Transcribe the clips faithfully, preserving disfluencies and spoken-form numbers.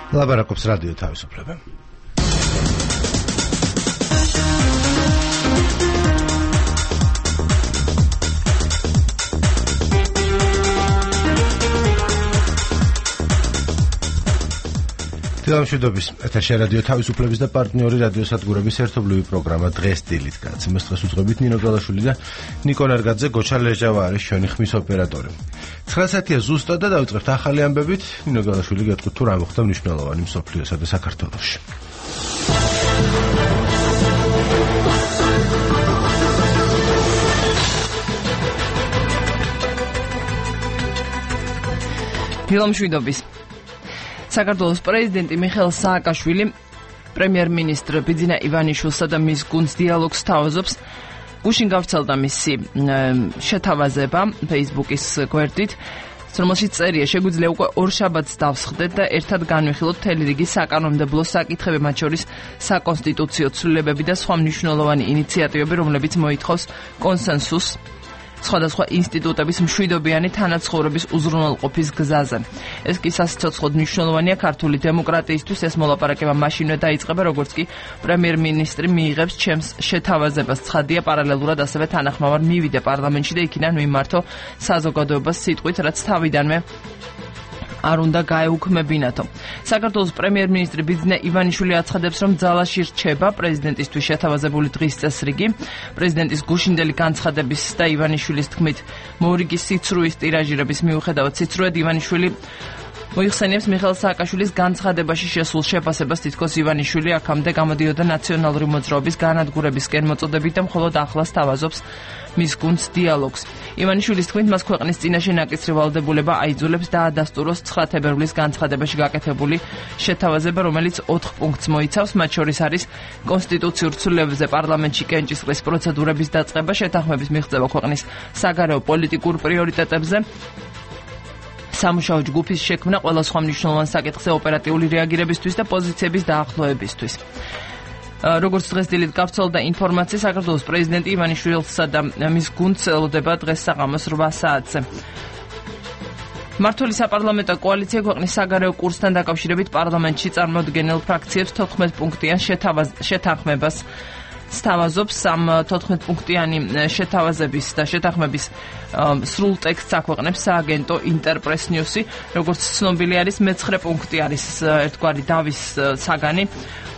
ლაბარაკობს რადიო თავისუფლება. თილამშვიდობის ეთერში რადიო თავისუფლების და პარტნიორი რადიოსადგურების ერთობლივი პროგრამა დღეს დილით გადაცემას დღეს უძღვებით ნინო გალაშვილი და ნიკო ნარგაძე. გოჩა ლეჟავა არის ჩვენი ხმის ოპერატორი. ცხრა საათია ზუსტად და დავიწყებთ ახალი ამბებით. ნინო გალაშვილი გეტყვით თუ რა მოხდა მნიშვნელოვანი მსოფლიოსა და საქართველოში. თილამშვიდობის საქართველოს პრეზიდენტი მიხეილ სააკაშვილი პრემიერ-მინისტრ ბიძინა ივანიშვილსა და მის გუნდს დიალოგს თავაზობს. გუშინ გავრცელდა მისი შეთავაზება Facebook-ის გვერდით, რომელშიც წერია: შეგვიძლია უკვე ორ შაბათს დავსხდეთ და ერთად განვიხილოთ მთელი რიგი საკანონმდებლო საკითხები, მათ შორის საკონსტიტუციო ცვლილებები და სხვა მნიშვნელოვანი ინიციატივები, რომლებიც მოითხოვს კონსენსუსს სხვადასხვა ინსტიტუტების მშვიდობიანი თანაცხოვრების უზრუნველყოფის გზაზე. ეს კი სასიცოცხლოდ მნიშვნელოვანია ქართული დემოკრატიისთვის. ეს მოლაპარაკება მაშინვე დაიწყება, როგორც კი პრემიერ-მინისტრი მიიღებს ჩემს შეთავაზებას. ცხადია, პარალელურად ასევე თანახმოვარ მივიდე პარლამენტში და იქიდან მიმართო საზოგადოებას სიტყვით, რაც თავიდანვე არ უნდა გაეუქმებინათო. საქართველოს პრემიერ-მინისტრი ბიძინა ივანიშვილი აცხადებს, რომ ძალაში რჩება პრეზიდენტისთვის შეთავაზებული დღის წესრიგი. პრეზიდენტის გუშინდელი განცხადების და ივანიშვილის თქმით მორიგი სიცრუის ტირაჟირების მიუხედავად სიცრუედ ივანიშვილი მოიხსენიებს მიხეილ სააკაშვილის განცხადებაში შესულ შეფასებას, თითქოს ივანიშვილი აქამდე გამოდიოდა ნაციონალური მოძრაობის განადგურებისკენ მოწოდებით და მხოლოდ ახლა სთავაზობს მის გუნდს დიალოგს. ივანიშვილის თქმით, მას ქვეყნის წინაშე ნაკისრი ვალდებულება აიძულებს და ადასტუროს ცხრა თებერვლის განცხადებაში გაკეთებული შეთავაზება, რომელიც ოთხ პუნქტს მოიცავს, მათ შორის არის კონსტიტუციურ ცვლილებებზე პარლამენტში კენჭისყრის პროცედურების დაწყება, შეთანხმების მიღწევა ქვეყნის საგარეო პოლიტიკურ პრიორიტეტებზე, სამუშაო ჯგუფის შექმნა ყველა სხვა მნიშვნელოვან საკითხზე ოპერატიული რეაგირებისთვის და პოზიციების დაახლოებისთვის. როგორც დღეს დილით გავრცელდა ინფორმაცია, საქართველოს პრეზიდენტი ივანიშვილსა და მის გუნდს ელოდება დღეს საღამოს რვა საათზე. მმართველი საპარლამენტო კოალიცია ქვეყნის საგარეო კურსთან დაკავშირებით პარლამენტში წარმოდგენილ ფრაქციებს თოთხმეტ პუნქტიან შეთანხმებას სთავაზობს. ამ თოთხმეტ პუნქტიანი შეთავაზების და შეთანხმების სრულ ტექსტს აქვეყნებს სააგენტო ინტერპრეს ნიუსი. როგორც ცნობილი არის, მეცხრე პუნქტი არის ერთგვარი დავის საგანი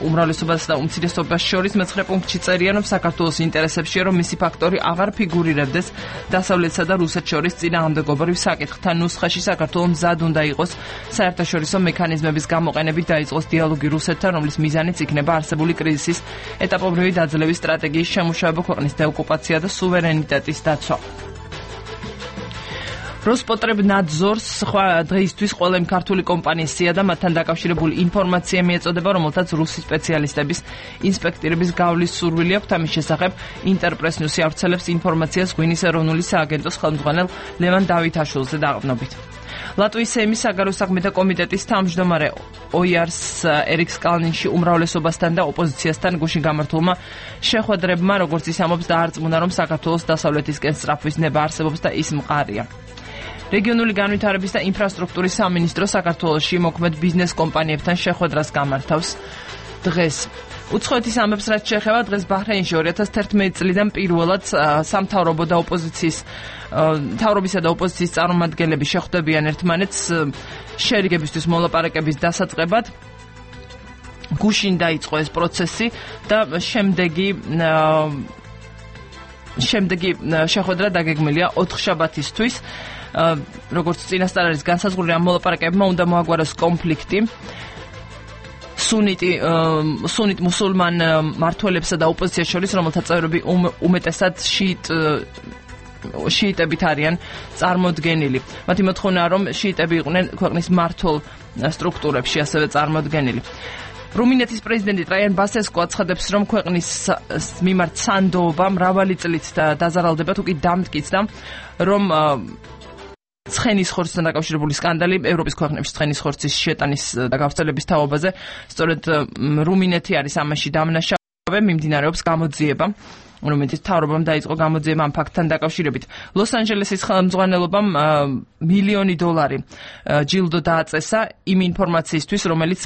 უმრავლესობას და უმცირესობას შორის. მეცხრე პუნქტში წერია, რომ საქართველოს ინტერესებშია, რომ მისი ფაქტორი აღარ ფიგურირებდეს დასავლეთსა და რუსეთს შორის წინააღმდეგობრივ საკითხთან ნუსხაში. საქართველოს მზად უნდა იყოს საერთაშორისო მექანიზმების გამოყენებით დაიწყოს დიალოგი რუსეთთან, რომლის მიზანიც იქნება არსებული კრიზისის ეტაპობრივი დაძლევის სტრატეგიის შემუშავება, ქვეყნის დეოკუპაცია და სუვერენიტეტის დაცვა. როსპოტრებნადზორს სხვა დღეისთვის ყველა იმ ქართული კომპანიისია და მათთან დაკავშირებული ინფორმაცია მიეწოდება, რომელთაც რუსი სპეციალისტების ინსპექტირების გავლის სურვილი აქვს. ამის შესახებ ინტერპრეს ნიუსი ავრცელებს ინფორმაციას ღვინის ეროვნული სააგენტოს ხელმძღვანელ ლევან დავითაშვილზე დაყრდნობით. ლატვიის სეიმის საგარეო საქმეთა კომიტეტის თავმჯდომარე ოიარს ერიქს კალნინში უმრავლესობასთან და ოპოზიციასთან გუშინ გამართულმა შეხვედრებმა, როგორც ის ამბობს, დაარწმუნა, რომ საქართველოს დასავლეთისკენ სწრაფვის ნება არსებობს და ის მყარია. რეგიონული განვითარების და ინფრასტრუქტურის სამინისტრო საქართველოში მოქმედ ბიზნეს კომპანიებთან შეხვედრას გამართავს დღეს. უცხოეთის ამბებს რაც შეეხება, დღეს ბაჰრეინში ორი ათას თერთმეტი წლიდან პირველად სამთავრობო და ოპოზიციის მთავრობისა და ოპოზიციის წარმომადგენლები შეხვდებიან ერთმანეთს შერიგებისთვის მოლაპარაკების დასაწყებად. გუშინ დაიწყო ეს პროცესი და შემდეგი შემდეგი შეხვედრა დაგეგმილია ოთხ შაბათისთვის. როგორც წინასწარ არის განსაზღვრული, ამ მოლაპარაკებებმა უნდა მოაგვაროს კონფლიქტი სუნიტი სუნიტ მუსულმან მმართველებსა და ოპოზიციას შორის, რომელთა წევრები უმეტესად შიიტ შიიტებით არიან წარმოდგენილი. მათი მოთხოვნაა, რომ შიიტები იყვნენ ქვეყნის მმართველ სტრუქტურებში ასევე წარმოდგენილი. რუმინეთის პრეზიდენტი ტრაიან ბასესკო აცხადებს, რომ ქვეყნის მიმართ სანდოობა მრავალი წლით დაზარალდება, თუ კი დამტკიცდა, რომ ცხენის ხორცთან დაკავშირებული სკანდალი ევროპის ქვეყნებში ცხენის ხორცის შეტანის და გავრცელების თაობაზე, სწორედ რუმინეთი არის ამაში დამნაშავე, მიმდინარეობს გამოძიება. რუმინეთის მთავრობამ დაიწყო გამოძიება ამ ფაქტთან დაკავშირებით. ლოს-ანჯელესის ხელმძღვანელობამ მილიონი დოლარი ჯილდო დააწესა იმ ინფორმაციისთვის, რომელიც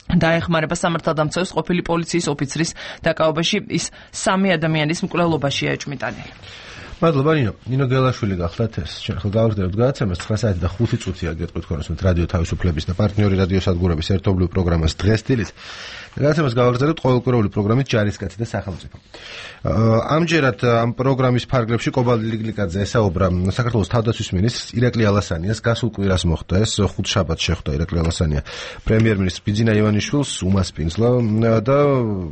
დაეხმარება სამართალდამცავის ყოფილი პოლიციის ოფიცრის დაკავებაში, ის სამი ადამიანის მკვლელობაშია ეჭვმიტანილი. მადლობა ნინო. ნინო გელაშვილი გახლავთ ეს. ჩვენ ხელ გავაგრძელებთ გადაცემას ცხრა საათი და ხუთი წუთია გეტყვით ქონოსმეთ რადიო თავისუფლების და პარტნიორი რადიო სადგურების ერთობლივ პროგრამას დღეს დილით. გადაცემას გავაგრძელებთ ყოველკვირეული პროგრამით ჯარისკაცი და სახელმწიფო. ამჯერად ამ პროგრამის ფარგლებში კობალდი ლიგლიკაძე ესაუბრა საქართველოს თავდაცვის მინისტრს ირაკლი ალასანიას. გასულ კვირას მოხდა ეს, ხუთშაბათს შეხვდა ირაკლი ალასანია პრემიერ-მინისტრ ბიძინა ივანიშვილს უმასპინძლა და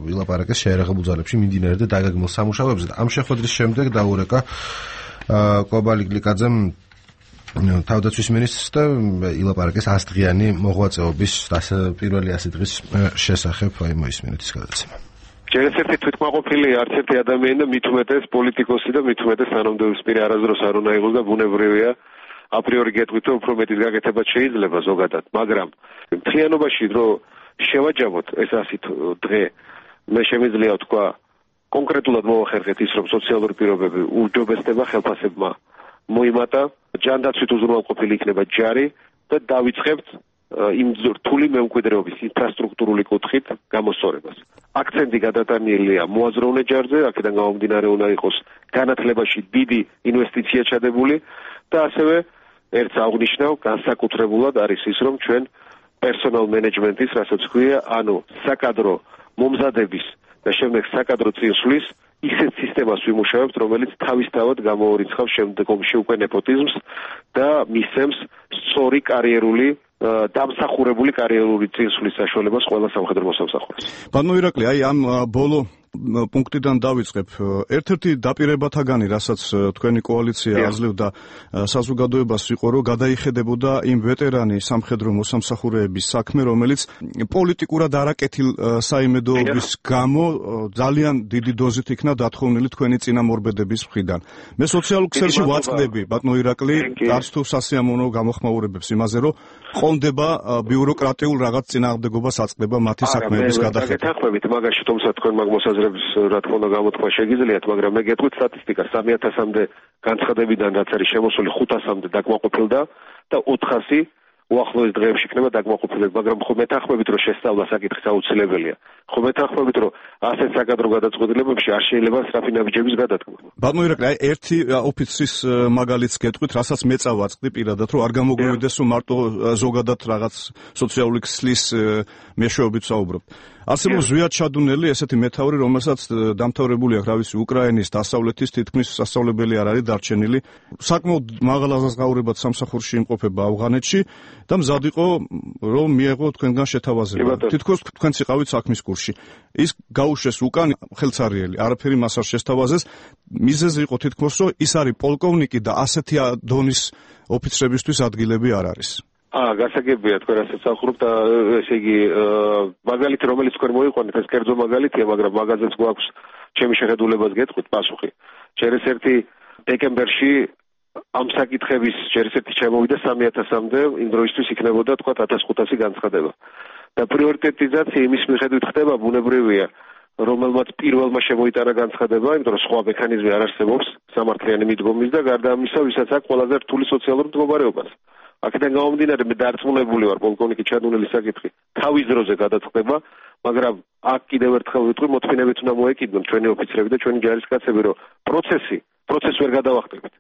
ვილაპარაკეს შეერაღებულ ძალებში მიმდინარე და დაგეგმილ სამუშაოებზე. ამ შეხვედრის შემდეგ დაურეკა კობალდი ლიგლიკაძემ თავდაცვის მინისტრს და ილაპარაკეს ასდღიანი მოღვაწეობის პირველი ასი დღის შესახებ. აი მოისმინეთ ის გადაცემა. ჯერ ერთი თვითმაყოფილი არც ერთი ადამიანი და მით უმეტეს პოლიტიკოსი და მით უმეტეს თანამდებობისპირი არასდროს არ უნდა იყოს და ბუნებრივია აპრიორი გეტყვით რომ უფრო მეტის გაკეთებაც შეიძლება ზოგადად, მაგრამ მთლიანობაში რომ შევაჯამოთ ეს ასი დღე მე შემიძლია ვთქვა კონკრეტულად მოვახერხეთ ის რომ სოციალური პირობები უჯობესდება ხელფასებმა მოიმატა, ჯანდაცვით უზრუნველყოფილი იქნება ჯარი და დავიწყებთ იმ რთული მემკვიდრეობის ინფრასტრუქტურული კუთხით გამოსწორებას. აქცენტი გადატანილია მოაზროვნე ჯარზე, აქედან გამომდინარე უნდა იყოს განათლებაში დიდი ინვესტიცია ჩადებული და ასევე ერთს აღნიშნავ, განსაკუთრებულად არის ის რომ ჩვენ პერსონალ მენეჯმენტის, რასაც ქვია, ანუ საკადრო მომზადების და შემდეგ საკადრო წინსვლის ისეთ სისტემას ვიმუშავებთ, რომელიც თავისთავად გამოურიცხავს შემდგომში უკვე ნეპოტიზმს და მისცემს სწორი კარიერული დამსახურებული კარიერული წინსვლის საშუალებას ყველა სამხედრო მოსამსახურეს. ბატონო ირაკლი, აი ამ ბოლო პუნქტიდან დავიწყებ. ერთ-ერთი დაპირებათაგანი, რასაც თქვენი კოალიცია აძლევდა საზოგადოებას იყო, რომ გადაიხედებოდა იმ ვეტერანი სამხედრო მოსამსახურეების საქმე, რომელიც პოლიტიკურად არაკეთილ საიმედოობის გამო ძალიან დიდი დოზით იქნა დათხოვნილი თქვენი წინამორბედების მხრიდან. მე სოციალურ ქსელში ვაწყდები, ბატონო ირაკლი, არც თუ სასიამოვნო გამოხმაურებებს იმაზე, რომ ყონდება ბიუროკრატიულ რაღაც წინააღმდეგობას აწყდება მათი საქმეების გადახება. გეთანხმებით მაგაში, თუმცა თქვენ მაგ მოსაზრებს რა თქმა უნდა გამოთქვა შეგიძლიათ, მაგრამ მე გეტყვით სტატისტიკას სამი ათასამდე განცხადებიდან რაც არის შემოსული ხუთასამდე დაკმაყოფილდა და ოთხასი უახლოეს დღეებში იქნება დაკმაყოფილება, მაგრამ ხო მეთანხმებით რომ შესწავლა საკითხის აუცილებელია. ხო მეთანხმებით რომ ასეთ საკადრო გადაწყვეტილებებში არ შეიძლება სწრაფი ნაბიჯების გადადგმა. ბატონო ირაკლი, აი ერთი ოფიცრის მაგალითს გეტყვით, რასაც მე წავაწყდი პირადად, რომ არ გამოგვივიდეს რომ მარტო ზოგადად რაღაც სოციალური ქსლის მეშვეობით საუბრობ. არსებობს ზვიად ჩადუნელი ესეთი მეთაური, რომელსაც დამთავრებული აქვს, რა ვიცი, უკრაინის დასავლეთის თითქმის სასწავლებელი არ არის დარჩენილი. საკმაოდ მაღალ აზღაურებად სამსახურში იმყოფება ავღანეთში და მზად იყო რომ მიეღო თქვენგან შეთავაზება. თითქოს თქვენც იყავით საქმის კურსში. ის გაუშვეს უკან ხელცარიელი, არაფერი მას არ შესთავაზეს. მიზეზი იყო თითქოს რომ ის არის პოლკოვნიკი და ასეთი დონის ოფიცრებისთვის ადგილები არ არის. აა გასაგებია თქვენ რასაც ახურობთ და ესე იგი მაგალითი რომელიც თქვენ მოიყვანეთ ეს კერძო მაგალითია, მაგრამ მაგაზეც გვაქვს ჩემი შეხედულებას გეტყვით პასუხი. ჯერ ეს ერთი დეკემბერში ამ საკითხების ჯერ ეს ერთი შემოვიდა სამი ათასამდე, იმ დროისთვის იქნებოდა თქვა ათას ხუთასი განცხადება. და პრიორიტეტიზაცია იმის მიხედვით ხდება ბუნებრივია, რომელმაც პირველმა შემოიტანა განცხადება, იმიტომ რომ სხვა მექანიზმი არ არსებობს სამართლიანი მიდგომის და გარდა ამისა, ვისაც აქვს ყველაზე რთული სოციალური მდგომარეობა. აქედან გამომდინარე მე დარწმუნებული ვარ პოლკოვნიკი ჩადუნელის საკითხი თავის დროზე გადაწყდება, მაგრამ აქ კიდევ ერთხელ ვიტყვი, მოთმინებით უნდა მოეკიდონ ჩვენი ოფიცრები და ჩვენი ჯარისკაცები, რომ პროცესი პროცესს ვერ გადავახტებით.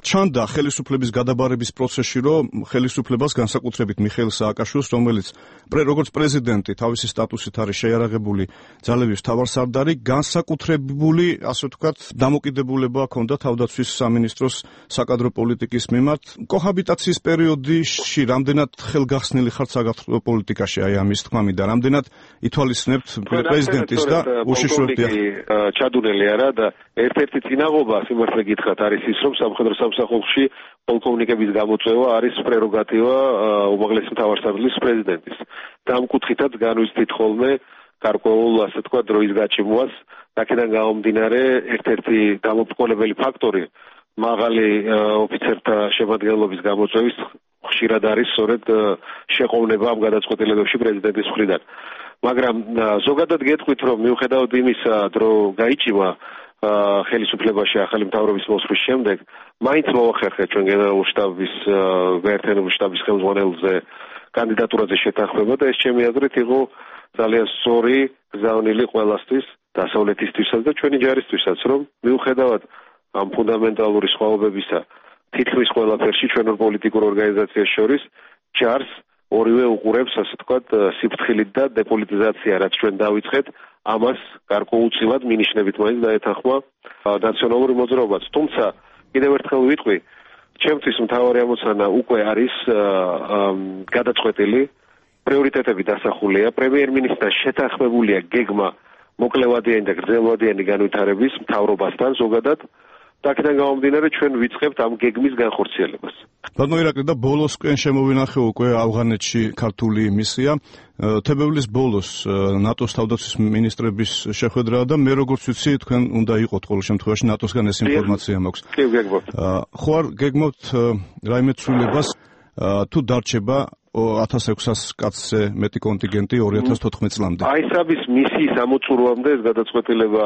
ჩანდა ხელისუფლების გადაბარების პროცესში, რომ ხელისუფლებას განსაკუთრებით მიხეილ სააკაშვილს, რომელიც როგორც პრეზიდენტი თავისი სტატუსით არის შეიარაღებული ძალების მთავარსარდალი, განსაკუთრებული, ასე ვთქვათ, დამოკიდებულება ჰქონდა თავდაცვის სამინისტროს საკადრო პოლიტიკის მიმართ. კოჰაბიტაციის პერიოდში რამდენად ხელგახსნილი ხართ საკადრო პოლიტიკაში, აი ამის თქმამი და რამდენად ითვალისწინებთ პრეზიდენტის და უშიშროებთ ჩადუნელი არა და ერთ-ერთი წინაღობა სიმართლე გითხრათ არის ის, რომ სამხედრო სამსახურში პოლკოვნიკების გამოწვევა არის პრეროგატივა უმაღლესი მთავარსარდლის პრეზიდენტის. და ამ კუთხითაც განვიცდით ხოლმე გარკვეულ, ასე თქვა, დროის გაჩიმვას, აქედან გამომდინარე ერთ-ერთი დამოუკიდებელი ფაქტორი მაღალი ოფიცერთა შემადგენლობის გამოწვევის ხშირად არის სწორედ შეყოვნება ამ გადაწყვეტილებებში პრეზიდენტის მხრიდან. მაგრამ ზოგადად გეტყვით, რომ მიუხედავად იმისა, რომ გაიჭიმა ხელისუფლებაში ახალი მთავრობის მოსვლის შემდეგ, მაინც მოახერხეთ ჩვენ გენერალურ შტაბის გაერთიანებული შტაბის ხელმძღვანელზე კანდიდატურაზე შეთანხმება და ეს ჩემი აზრით იყო ძალიან სწორი გზავნილი ყველასთვის, დასავლეთისთვისაც და ჩვენი ჯარისთვისაც, რომ მიუხედავად ამ ფუნდამენტალური სხვაობებისა, თითქმის ყველაფერში ჩვენ პოლიტიკურ ორგანიზაციას შორის ჯარს ორივე უყურებს, ასე ვთქვათ, სიფრთხილით და დეპოლიტიზაცია, რაც ჩვენ დავიწყეთ, ამას გარკვეულწილად მინიშნებით მაინც დაეთანხმა ნაციონალური მოძრაობაც. თუმცა კიდევ ერთხელ ვიტყვი, ჩემთვის მთავარი ამოცანა უკვე არის გადაწყვეტილი, პრიორიტეტები დასახულია, პრემიერ-მინისტრთან შეთანხმებულია გეგმა მოკლევადიანი და გრძელვადიანი განვითარების მთავრობასთან ზოგადად. და აქედან გამომდინარე ჩვენ ვიწყებთ ამ გეგმის განხორციელებას. ბატონო ირაკლი და ბოლოსკენ შემოვინახე უკვე ავღანეთში ქართული მისია. თებერვლის ბოლოს ნატოს თავდაცვის მინისტრების შეხვედრაა და მე როგორც ვიცი თქვენ უნდა იყოთ ყოველ შემთხვევაში ნატოსგან ეს ინფორმაცია მაქვს. კი, გეგმობთ. ხო არ გეგმობთ რაიმე ცვლილებას თუ დარჩება ათას ექვსას კაცზე მეტი კონტინგენტი ორი ათას თოთხმეტ წლამდე? აი საბის მისიის ამოწურვამდე ეს გადაწყვეტილება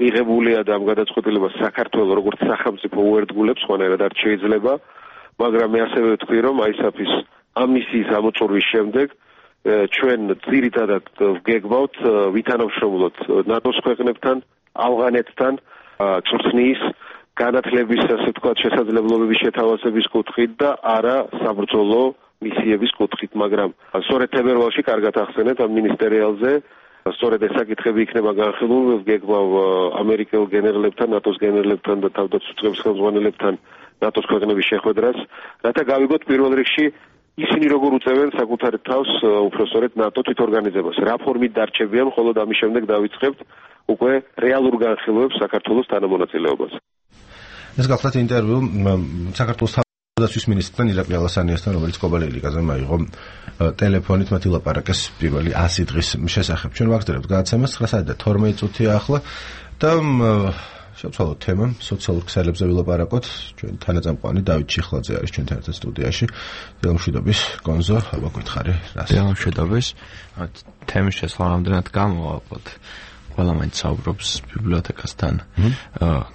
მიღებულია და ამ გადაწყვეტილებას საქართველოს როგორც სახელმწიფო უერთგულებს, ხანერად არ შეიძლება, მაგრამ მე ასევე ვთქვი, რომ აისაფის ამ მისიის ამოწურვის შემდეგ ჩვენ ძირითადად ვგეგმავთ ვითანამშრომლოთ ნატოს ქვეყნებთან, ავღანეთთან, წვრთნის განათლების, ასე ვთქვათ, შესაძლებლობების შეთავაზების კუთხით და არა საბრძოლო მისიების კუთხით, მაგრამ სწორედ თებერვალში კარგად ახსენეთ ამ მინისტერიალზე სწორედ ეს საკითხები იქნება განხილული, ვგეგმავ ამერიკელ გენერლებთან, ნატოს გენერლებთან და თავდაცვის უწყების ხელმძღვანელებთან ნატოს ქვეყნების შეხვედრას, რათა გავიგოთ პირველ რიგში ისინი როგორ უწევენ საკუთარ თავს უпроსტორეთ ნატო თვითორგანიზებას. რა ფორმით დარჩებიან, ხოლო ამის შემდეგ დავიწყებთ უკვე რეალურ განხილვებს საქართველოს თანამონაწილეობას. ეს გახლავთ ინტერვიუ საქართველოს თავდაცვის მინისტრთან ირაკლი ალასანიასთან, რომელიც კობალეილიკაზე მაიღო ტელეფონით მათი ლაპარაკის პირველი ასი დღის შესახებ. ჩვენ ვაგრძელებთ გადაცემას ცხრა საათი და თორმეტი წუთია ახლა და შევცვალოთ თემა სოციალურ ქსელებზე ვილაპარაკოთ. ჩვენ თანაწამყვანი დავით ჩიხლაძე არის ჩვენთან ერთად სტუდიაში. დილამშვიდობის გონზო, აბა გითხარი რას? დილამშვიდობის. თემის შესახებ რამდენად გამოვაყოთ. ყველა მაინც საუბრობს ბიბლიოთეკასთან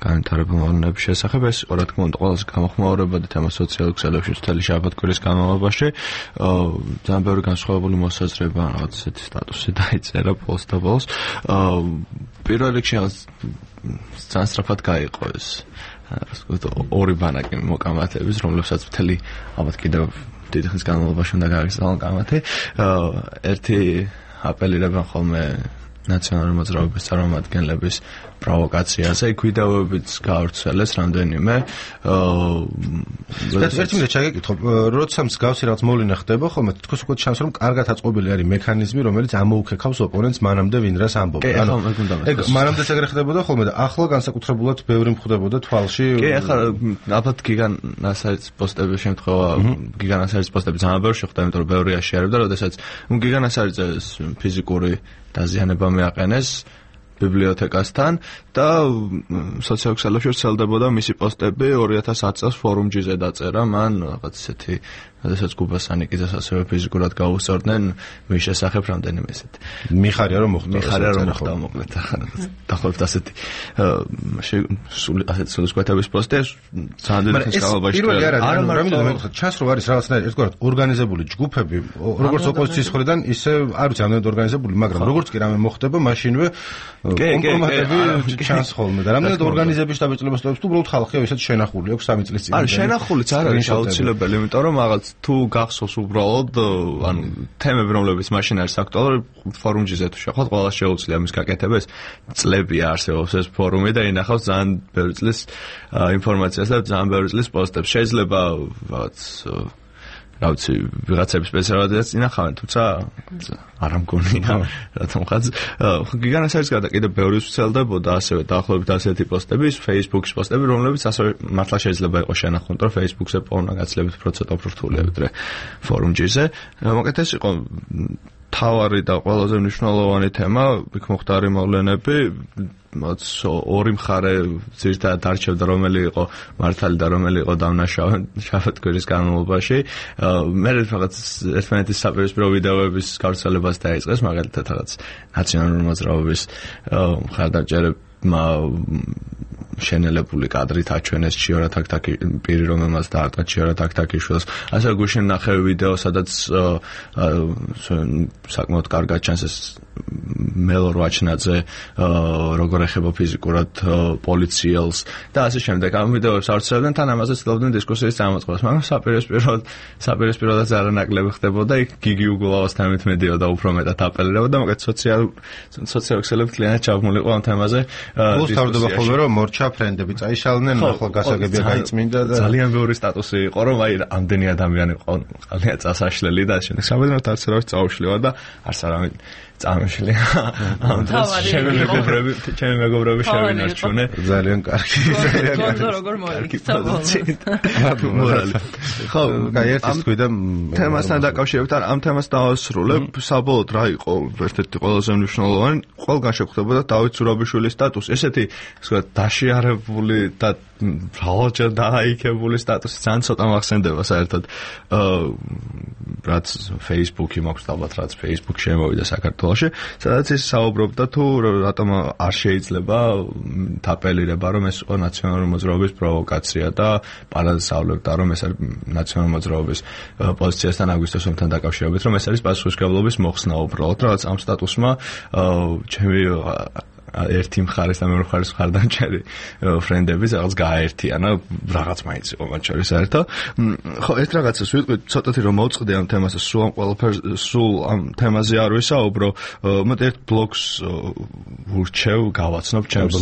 განვითარებულ მოვლენების შესახებ. ეს რა თქმა უნდა ყველაზე გამოხმაურებადი თემა სოციალურ ქსელებში მთელი შაბათ-კვირის განმავლობაში. ძალიან ბევრი განსხვავებული მოსაზრება, რაღაც ესეთი სტატუსი დაიწერა ბოლოს და ბოლოს. პირველ რიგში ძალიან სწრაფად გაიყო ეს ორი ბანაკი მოკამათების, რომლებსაც მთელი ალბათ კიდევ დიდი ხნის განმავლობაში უნდა გააგრძელონ კამათი. ერთი აპელირებენ ხოლმე ნაციონალური მოძრაობის წარმომადგენლების პროვოკაციაზე, იქ ვიდეოებიც გაავრცელეს რამდენიმე. ერთი მინუტი ჩაგეკითხო, როცა მსგავსი რაღაც მოვლენა ხდება, ხოლმე თითქოს უკვე ჩანს, რომ კარგად აწყობილი არის მექანიზმი, რომელიც ამოუქეკავს ოპონენტს მანამდე ვინ რას ამბობს. ანუ ეგ მანამდეც ეგრე ხდებოდა ხოლმე და ახლა განსაკუთრებულად ბევრი მხვდებოდა თვალში. კი, ახლა ალბათ გიგან ასარის პოსტების შემთხვევა, გიგან ასარის პოსტები ძალიან ბევრი შეხვდა, იმიტომ რომ ბევრი აშიარებდა, როდესაც გიგან ასარიძე ფიზიკური დაზიანება მიაყენეს ბიბლიოთეკასთან და სოციალურ ქსელებში ვრცელდებოდა მისი პოსტები ორი ათას ათი წელს ფორუმჯიზე დაწერა მან რაღაც ისეთი, როდესაც გუბასანიკიძეს ასევე ფიზიკურად გაუსწორდნენ მის შესახებ რამდენიმე ესეთი. მიხარია რომ მოხდა. მიხარია რომ მოხდა მოკლედ დაახლოებით ასეთი სულ ასეთი სულისკვეთების პოსტი ძალიან დიდი ხნის განმავლობაში. პირველი არ არის, რა მინდა მეკითხა, ჩანს რომ არის რაღაცნაირი ერთგვარად ორგანიზებული ჯგუფები, როგორც ოპოზიციის მხრიდან, ისე არ ვიცი ამდენად ორგანიზებული, მაგრამ როგორც კი რამე მოხდება, მაშინვე კომპრომატები ჩანს ხოლმე და რამდენად ორგანიზების დაბეჭდილებას თუ უბრალოდ ხალხია ისეთ შენახული აქვს სამი წლის წინ. არა, შენახულიც არ არის აუცილებელი, იმიტომ რომ რაღაც თუ გახსოვს უბრალოდ ანუ თემები რომლებიც მაშინ არის აქტუალური ფორუმჯიზე თუ შეხოთ ყველა შეუძლია მის გაკეთებას წლებია არსებობს ეს ფორუმი და ინახავს ძალიან ბევრი წლის ინფორმაციას და ძალიან ბევრი წლის პოსტებს. შეიძლება რაღაც რა ვიცი ვიღაცების სპეციალადაც ინახავენ, თუმცა არ ამგონია რატომღაც გიგანას არის გადა კიდე ბევრი ვრცელდებოდა ასევე დაახლოებით ასეთი პოსტები, Facebook-ის პოსტები, რომლებიც ასევე მართლა შეიძლება იყოს შენახული, რომ Facebook-ზე პოვნა გაცილებით პროცენტ უფრო ვიდრე ფორუმჯიზე. მოკლედ ეს იყო თავარი და ყველაზე მნიშვნელოვანი თემა, იქ მოხდარი მოვლენები, მათ ორი მხარე ძირითადად არჩევდა, რომელი იყო მართალი და რომელი იყო დამნაშავე შაბათ-კვირის განმავლობაში. მე რაღაც ერთმანეთის საპირისპირო ვიდეოების გავრცელებას დაიწყეს, მაგალითად რაღაც ნაციონალური მოძრაობის მხარდამჭერებმა შენელებული კადრით აჩვენეს ჩიორა თაქთაკი პირი რომელმაც დაარტყა ჩიორა თაქთაკიშვილს ასე გუშინ ნახე ვიდეო სადაც საკმაოდ კარგად ჩანს ეს მელორ ვაჩნაძე როგორ ეხება ფიზიკურად პოლიციელს და ასე შემდეგ ამ ვიდეოებს ავრცელებდნენ თან ამაზე ცდილობდნენ დისკუსიის წამოწყებას მაგრამ საპირისპიროდ საპირისპიროდაც არანაკლები ხდებოდა იქ გიგი უგულავასთან მედიოდა უფრო მეტად აპელირებოდა მაგრამ სოციალ სოციალურ ქსელებს კლიანად ჩაბმულიყო ამ თემაზე გულს თავდება ხოლმე რომ მორჩა ფრენდები წაიშალნენ ახლა გასაგებია გაიწმინდა და ძალიან ბევრი სტატუსი იყო რომ აი ამდენი ადამიანი ყალია წასაშლელი და შემდეგ სამედროდ არც არავის წაუშლივა და არც არავინ წამოშლი ამ დროს ჩემი მეგობრები ჩემი მეგობრები შევინარჩუნე ძალიან კარგი ძალიან კარგი როგორ მოიქცა მორალი ხო აი ერთის ქვიდა თემასთან დაკავშირებით არ ამ თემას დავასრულებ საბოლოოდ რა იყო ერთ-ერთი ყველაზე მნიშვნელოვანი ყველგან შეხვდებოდა დავით ზურაბიშვილის სტატუსი ესეთი ვთქვათ დაშიარებული და მრავალჯერ დააიქებული სტატუსი ძალიან ცოტა მახსენდება საერთოდ რაც Facebook-ი მაქვს ალბათ რაც Facebook შემოვიდა საქართველოში სადაც ის საუბრობდა თუ რატომ არ შეიძლება თაპელირება რომ ეს იყო ნაციონალური მოძრაობის პროვოკაცია და პარაზავლებდა რომ ეს არის ნაციონალური მოძრაობის პოზიციასთან აგვისტოს ომთან დაკავშირებით რომ ეს არის პასუხისმგებლობის მოხსნა უბრალოდ რაღაც ამ სტატუსმა ჩემი ერთი მხარეს და მეორე მხარეს მხარდამჭერი ფრენდები რაღაც გააერთიანა რაღაც მაინც იყო მათ შორის საერთო ხო ერთ რაღაცას ვიტყვი ცოტათი რომ მოვწყდი ამ თემაზე სულ ამ ყველაფერს სულ ამ თემაზე არ ვისაუბრო მე ერთ ბლოგს ვურჩევ გავაცნობ ჩემს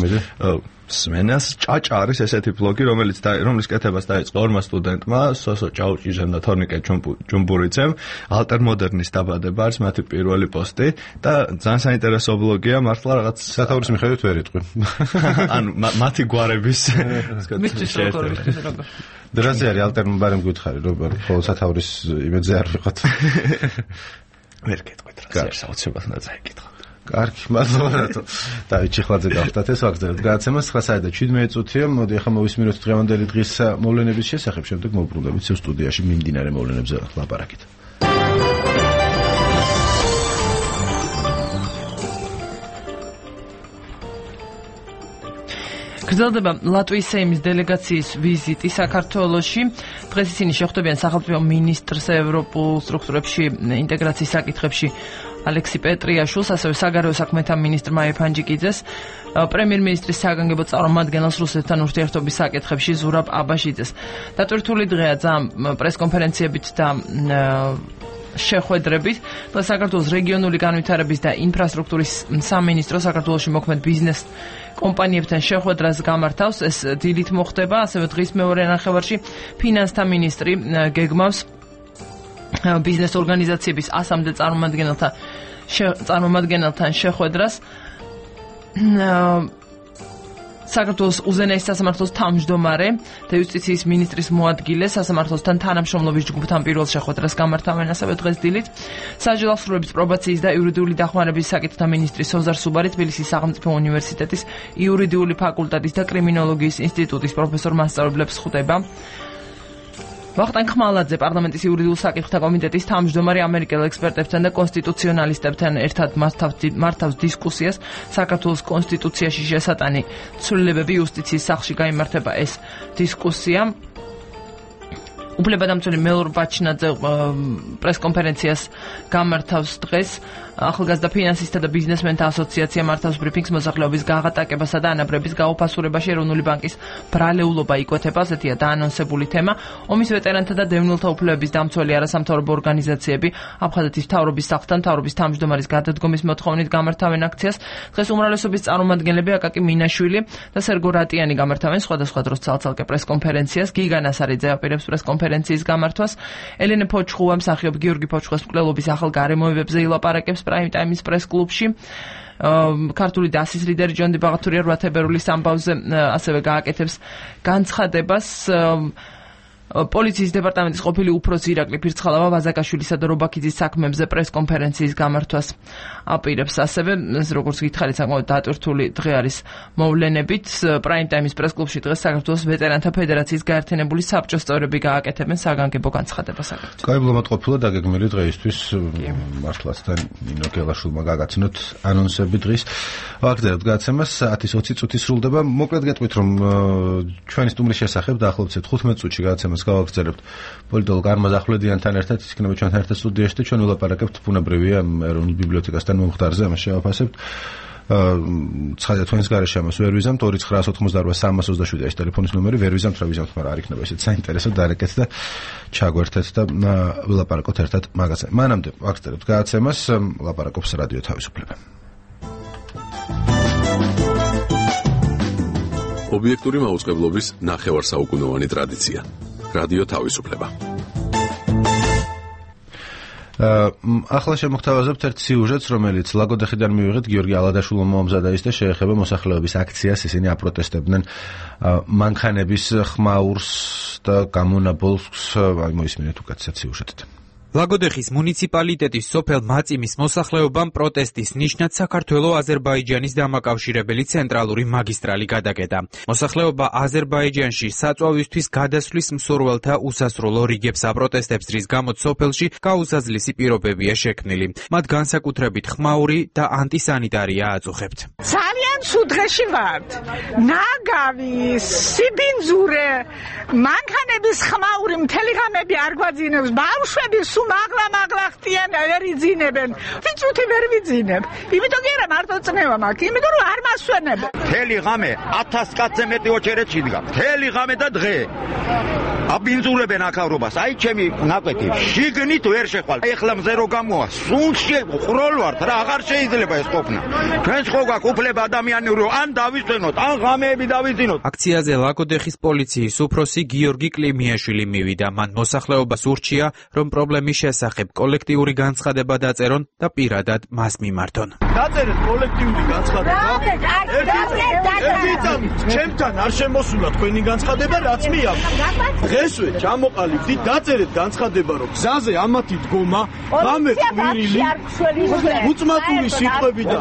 სმენას ჭაჭა არის ესეთი ბლოგი რომელიც რომლის კეთებას დაიწყო ორმა სტუდენტმა სოსო ჭაუჭიძემ და თორნიკე ჯუმბურიძემ ალტერმოდერნის დაბადება არის მათი პირველი პოსტი და ძალიან საინტერესო ბლოგია მართლა რაღაც სათაურის მიხედვით ვერ იტყვი ანუ მათი გვარების მისთვის როგორ მისთვის როგორ დრაზე არის ალტერმოდერნი გითხარი როგორ ხოლმე სათაურის იმედზე არ ვიყოთ ვერ გეტყვით რა საოცრად უნდა წაიკითხო კარგი, მადლობა რატო. დავით ჩიხლაძე გავხდათ ეს ვაგზავნეთ. გადაცემას ცხრა საათი და შვიდმეტი წუთია. მოდი ახლა მოვისმინოთ დღევანდელი დღის მოვლენების შესახებ, შემდეგ მოვბრუნდებით სევ სტუდიაში მიმდინარე მოვლენებზე ლაპარაკით. გრძელდება ლატვიის სეიმის დელეგაციის ვიზიტი საქართველოში. დღეს ისინი შეხვდებიან სახელმწიფო მინისტრს ევროპულ სტრუქტურებში ინტეგრაციის საკითხებში ალექსი პეტრიაშვილს, ასევე საგარეო საქმეთა მინისტრ მაია ფანჯიკიძეს, პრემიერ-მინისტრის საგანგებო წარმომადგენელს რუსეთთან ურთიერთობის საკითხებში ზურაბ აბაშიძეს. დატვირთული დღეა ძალიან პრესკონფერენციებით და შეხვედრებით. დღეს საქართველოს რეგიონული განვითარების და ინფრასტრუქტურის სამინისტრო საქართველოში მოქმედ ბიზნეს კომპანიებთან შეხვედრას გამართავს. ეს დილით მოხდება, ასევე დღის მეორე ნახევარში ფინანსთა მინისტრი გეგმავს ბიზნეს ორგანიზაციების ასამდე წარმომადგენელთან წარმომადგენელთან შეხვედრას. საქართველოს უზენაეს სასამართლოს თავმჯდომარე და იუსტიციის მინისტრის მოადგილე სასამართლოსთან თანამშრომლობის ჯგუფთან პირველ შეხვედრას გამართავენ ასევე დღეს დილით. საჯარო აღსრულების პრობაციის და იურიდიული დახმარების საკითხთა მინისტრი სოზარ სუბარი თბილისის სახელმწიფო უნივერსიტეტის იურიდიული ფაკულტეტის და კრიმინოლოგიის ინსტიტუტის პროფესორ მასწავლებლებს ხვდება. ვახტანგ ხმალაძე პარლამენტის იურიდიულ საკითხთა კომიტეტის თავმჯდომარე ამერიკელ ექსპერტებთან და კონსტიტუციონალისტებთან ერთად მართავს დისკუსიას საქართველოს კონსტიტუციაში შესატანი ცვლილებები იუსტიციის სახლში გაიმართება ეს დისკუსია. უფლებადამცველი მელორ ბაჩნაძე პრესკონფერენციას გამართავს დღეს. ახალგაზრდა ფინანსისტთა და ბიზნესმენთა ასოციაცია მართავს ბრიფინგს მოსახლეობის გაღატაკებასა და ანაბრების გაუფასურებაში ეროვნული ბანკის ბრალეულობა იკვეთება. ასეთია დაანონსებული თემა. ომის ვეტერანთა და დევნილთა უფლებების დამცველი არასამთავრობო ორგანიზაციები აფხაზეთის მთავრობის სახლთან მთავრობის თავმჯდომარის გადადგომის მოთხოვნით გამართავენ აქციას. დღეს უმრავლესობის წარმომადგენლები აკაკი მინაშვილი და სერგო რატიანი გამართავენ სხვადასხვა დროს ცალ-ცალკე პრესკონფერენციას. გიგა ნასარიძე აპირებს პრესკონფერენციის გამართვას. ელენე ფოჩხუა მსახიობ გიორგი ფოჩხუას მკვლელობის ახალ გარემოებებზე ილაპარაკებს პრაიმ ტაიმის პრეს-კლუბში. ქართული დასის ლიდერი ჯონდი ბაღათურია რვა თებერვლის ამბავზე ასევე გააკეთებს განცხადებას. პოლიციის დეპარტამენტის ყოფილი უფროსი ირაკლი ფირცხალავა ვაზაკაშვილისა და რობაქიძის საქმეებზე პრეს-კონფერენციის გამართვას აპირებს. ასევე, როგორც გითხარით, საკმაოდ დატვირთული დღე არის მოვლენებით. პრაიმ ტაიმის პრეს-კლუბში დღეს საქართველოს ვეტერანთა ფედერაციის გაერთიანებული საბჭოს წევრები გააკეთებენ საგანგებო განცხადებას აგრეთვე. კაიბლომად ყოფილა დაგეგმილი დღეისთვის მართლაც და ნინო გელაშვილმა გაგაცნოთ ანონსები დღის. ვაგრძელებთ გადაცემას ათის ოცი წუთი სრულდება. მოკლედ გეტყვით, რომ ჩვენი სტუმრის შესახებ დაახლოებით თხუთმეტ წუთში გადაცემას გავაგრძელებთ პოლიტოლოგ არმაზ ახვლედიანთან ერთად. ის იქნება ჩვენთან ერთად სტუდიაში და ჩვენ ვილაპარაკებთ ბუნებრივია ეროვნულ ბიბლიოთეკასთან მომხდარზე, ამას შევაფასებთ. ცხადია თქვენს გარეშე ამას ვერ ვიზამთ. ორი ცხრაას ოთხმოცდაოთხ სამას ოცდაშვიდი არის ტელეფონის ნომერი, ვერ ვიზამთ, რა ვიზამთ, მაგრამ არ იქნება ისეთ საინტერესო დარეკეთ და ჩაგვერთეთ და ვილაპარაკოთ ერთად მაგაზე. მანამდე ვაგრძელებთ გადაცემას, ლაპარაკობს რადიო თავისუფლება. ობიექტური მაუწყებლობის ნახევარსაუკუნოვანი ტრადიცია. რადიო თავისუფლება. ახლა შემოგთავაზებთ ერთ სიუჟეტს, რომელიც ლაგოდეხიდან მივიღეთ. გიორგი ალადაშვილმა მოამზადა ის და შეეხება მოსახლეობის აქციას. ისინი აპროტესტებდნენ მანქანების ხმაურს და გამონაბოლს. აი მოისმინეთ უკეთესად სიუჟეტით. ლაგოდეხის მუნიციპალიტეტის სოფელ მაწიმის მოსახლეობამ პროტესტის ნიშნად საქართველო-აზერბაიჯანის დამაკავშირებელი ცენტრალური მაგისტრალი გადაკეტა. მოსახლეობა აზერბაიჯანში საწვავისთვის გადასვლის მსურველთა უსასრულო რიგებს აპროტესტებს, რის გამოც სოფელში გაუსაზლისი პირობებია შექმნილი. მათ განსაკუთრებით ხმაური და ანტისანიტარია აწუხებთ. ძალიან ცუდ დღეში ვართ. ნაგავი, სიბინძურე, მანქანების ხმაური მთელი ღამები არ გვაძინებს, ბავშვები მაგლა-მაგლა ხტიან, ვერ იძინებენ. ვიწუთი ვერ ვიძინებ. იმიტომ კი არა მარტო წნევა მაქვს, იმიტომ რომ არ მასვენებ. მთელი ღამე ათას კაცზე მეტი ოჩერეთში დგა. მთელი ღამე და დღე. აბინძურებენ აქავრობას. აი ჩემი ნაკვეთი შიგნით ვერ შეხვალ. ეხლა მზე რო გამოვა, სუნში ყროლ ვართ რა, აღარ შეიძლება ეს ყოფნა. ჩვენს ხო გაქვს უფლება ადამიანური, ან დავისვენოთ, ან ღამეები დავიძინოთ. აქციაზე ლაგოდეხის პოლიციის უფროსი გიორგი კლიმიაშვილი მივიდა. მან მოსახლეობას ურჩია, რომ პრობლემის შესახებ კოლექტიური განცხადება დაწერონ და პირადად მას მიმართონ. დაწერეთ კოლექტიური განცხადება. ჩემთან არ შემოსულა თქვენი განცხადება, რაც მიაქვს. დღესვე ჩამოყალიბდით, დაწერეთ განცხადება, რომ გზაზე ამათი დგომა, ღამე ყვირილი, უწმატული სიტყვები და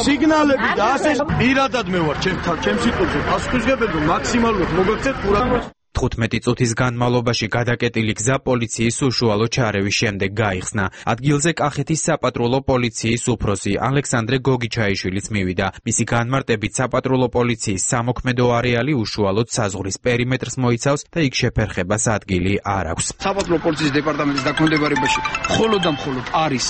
სიგნალები და ასე პირადად მე ვარ ჩემთან, ჩემ სიტყვებზე პასუხისმგებელი მაქსიმალურად მოგაქცევთ ყურადღებას. თხუთმეტი წუთის განმავლობაში გადაკეტილი გზა პოლიციის უშუალო ჩარევის შემდეგ გაიხსნა. ადგილზე კახეთის საპატრულო პოლიციის უფროსი ალექსანდრე გოგიჩაიშვილიც მივიდა. მისი განმარტებით საპატრულო პოლიციის სამოქმედო არეალი უშუალოდ საზღვრის პერიმეტრს მოიცავს და იქ შეფერხებას ადგილი არ აქვს. საპატრულო პოლიციის დეპარტამენტის დაქვემდებარებაში მხოლოდ და მხოლოდ არის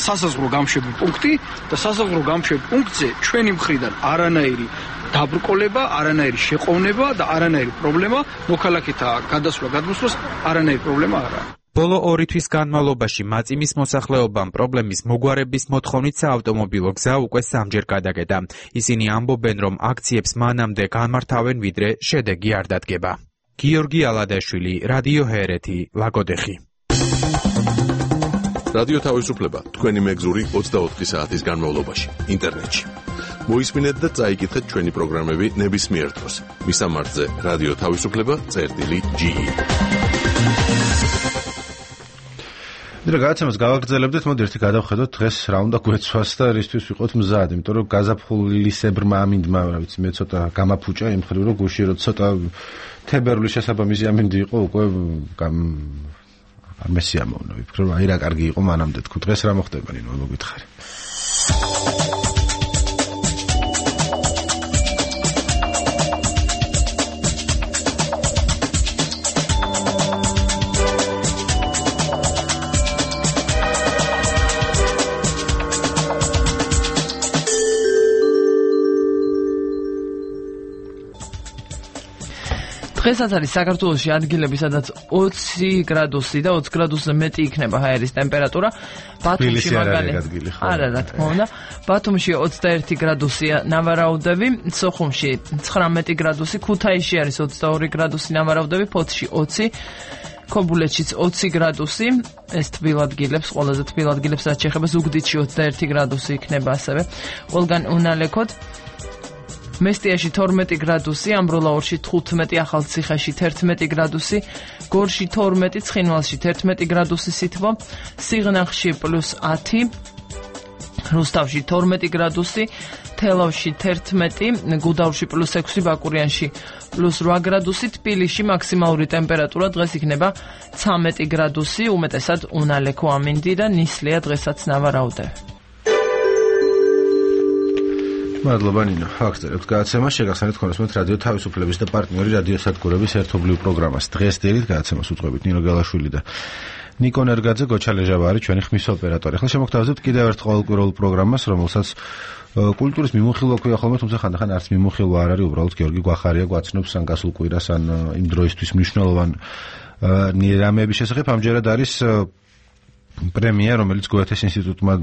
სასაზღვრო გამშვები პუნქტი და სასაზღვრო გამშვები პუნქტზე ჩვენი მხრიდან არანაირი დაბრკოლება, არანაირი შეყოვნება და არანაირი პრობლემა მოქალაქეთა გადასვლა გადმოსვლას არანაირი პრობლემა არ არის. ბოლო ორი თვის განმავლობაში მაწიმის მოსახლეობამ პრობლემის მოგვარების მოთხოვნით საავტომობილო გზა უკვე სამჯერ გადაკეტა. ისინი ამბობენ, რომ აქციებს მანამდე განმართავენ, ვიდრე შედეგი არ დადგება. გიორგი ალადაშვილი, რადიო ჰერეთი, ლაგოდეხი. რადიო თავისუფლება, თქვენი მეგზური ოცდაოთხი საათის განმავლობაში, ინტერნეტში. მოისმინეთ და წაიკითხეთ ჩვენი პროგრამები ნებისმიერ დროს. მისამართზე რადიო თავისუფლება წერტილი ჯი. და გადაცემას გავაგრძელებდით, მოდი ერთი გადავხედოთ დღეს რა უნდა გვეცვას და რისთვის ვიყოთ მზად, იმიტომ რომ გაზაფხულისებრმა ამინდმა, რა ვიცი, მე ცოტა გამაფუჭა იმ მხრივ, რომ გუში რო ცოტა თებერვლის შესაბამისი ამინდი იყო, უკვე არ მესიამოვნა, ვიფიქრე რომ აი რა კარგი იყო მანამდე თქვი. დღეს რა მოხდება, ნინო, მოგითხარი. დღესაც არის საქართველოში ადგილები, სადაც ოცი გრადუსი და ოცი გრადუსზე მეტი იქნება ჰაერის ტემპერატურა. ბათუმში მაგალითად არა, რა თქმა უნდა. ბათუმში ოცდაერთი გრადუსია ნავარაუდები, სოხუმში ცხრამეტი გრადუსი, ქუთაისში არის ოცდაორი გრადუსი ნავარაუდები, ფოთში ოცი, ქობულეთშიც ოცი გრადუსი, ეს თბილადგილებს, ყველაზე თბილადგილებს რაც შეეხება, ზუგდიდში ოცდაერთი გრადუსი იქნება ასევე. ყველგან უნალექოდ მესტიაში თორმეტი გრადუსი, ამბროლაურში თხუთმეტი, ახალციხეში თერთმეტი გრადუსი, გორში თორმეტი, ცხინვალში თერთმეტი გრადუსი სითბო, სიღნაღში პლუს ათი, რუსთავში თორმეტი გრადუსი, თელავში თერთმეტი, გუდაურში პლუს ექვსი, ბაკურიანში პლუს რვა გრადუსი, თბილისში მაქსიმალური ტემპერატურა დღეს იქნება ცამეტი გრადუსი, უმეტესად უნალექო ამინდი და ნისლია დღესაც ნავარაუდე. მადლობა ნინო. ახსენებთ გადაცემას შეგახსენეთ ქონესმეთ რადიო თავისუფლების და პარტნიორი რადიოსადგურების ერთობლივ პროგრამას. დღეს დილით გადაცემას უწყობთ ნინო გელაშვილი და ნიკო ნერგაძე, გოჩა ლეჟავარი, ჩვენი ხმის ოპერატორი. ახლა შემოგთავაზებთ კიდევ ერთ ყოველკვირეულ პროგრამას, რომელსაც კულტურის მიმოხილვა ქვია ხოლმე, თუმცა ხანდახან არც მიმოხილვა არ არის, უბრალოდ გიორგი გვახარია გვაცნობს ან გასულ კვირას ან იმ დროისთვის მნიშვნელოვან რამეების შესახებ. ამჯერად არის პრემია, რომელიც გოეთეს ინსტიტუტმა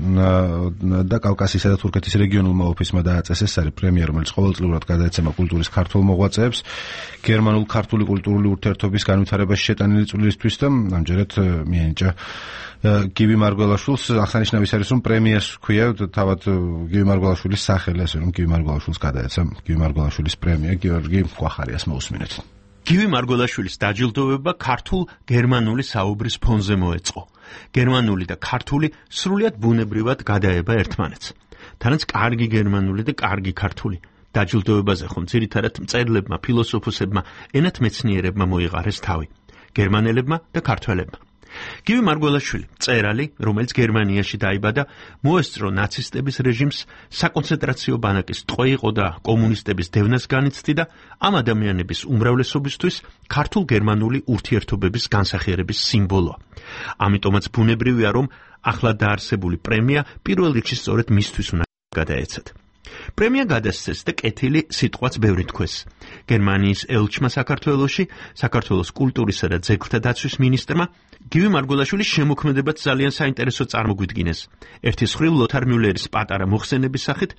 და კავკასიისა და თურქეთის რეგიონულმა ოფისმა დააწესეს. ეს არის პრემია, რომელიც ყოველწლიურად გადაეცემა კულტურის ქართველ მოღვაწეებს გერმანულ-ქართული კულტურული ურთიერთობის განვითარებაში შეტანილი წვლილისთვის და ამჯერად მიენიჭა გივი მარგველაშვილს. აღსანიშნავი არის, რომ პრემიას ქვია თავად გივი მარგველაშვილის სახელი, ასე რომ გივი მარგველაშვილს გადაეცა გივი მარგველაშვილის პრემია. გიორგი გვახარიას მოусმინეთ. გივი მარგველაშვილის დაჯილდოება ქართულ გერმანული საუბრის ფონზე მოეწყო. გერმანული და ქართული სრულიად ბუნებრივად გადაება ერთმანეთს. თანაც კარგი გერმანული და კარგი ქართული. დაჯილდოებაზე ხომ ძირითადად მწერლებმა, ფილოსოფოსებმა, ენათმეცნიერებმა მოიყარეს თავი. გერმანელებმა და ქართველებმა. გივი მარგველაშვილი, მწერალი, რომელიც გერმანიაში დაიბადა, მოესწრო ნაცისტების რეჟიმს, საკონცენტრაციო ბანაკის ტყვე იყო და კომუნისტების დევნას განიცდიდა, ამ ადამიანების უმრავლესობისთვის ქართულ-გერმანული ურთიერთობების განსახიერების სიმბოლოა. ამიტომაც ბუნებრივია, რომ ახლა დაარსებული პრემია პირველ რიგში სწორედ მისთვის უნდა გადაეცათ. პრემია გადასცეს და კეთილი სიტყვაც ბევრი თქვეს. გერმანიის ელჩმა საქართველოში, საქართველოს კულტურისა და ძეგლთა დაცვის მინისტრმა გივი მარგველაშვილის შემოქმედებაც ძალიან საინტერესო წარმოგვიდგინეს. ერთის მხრივ ლოთარ მიულერის პატარა მოხსენების სახით,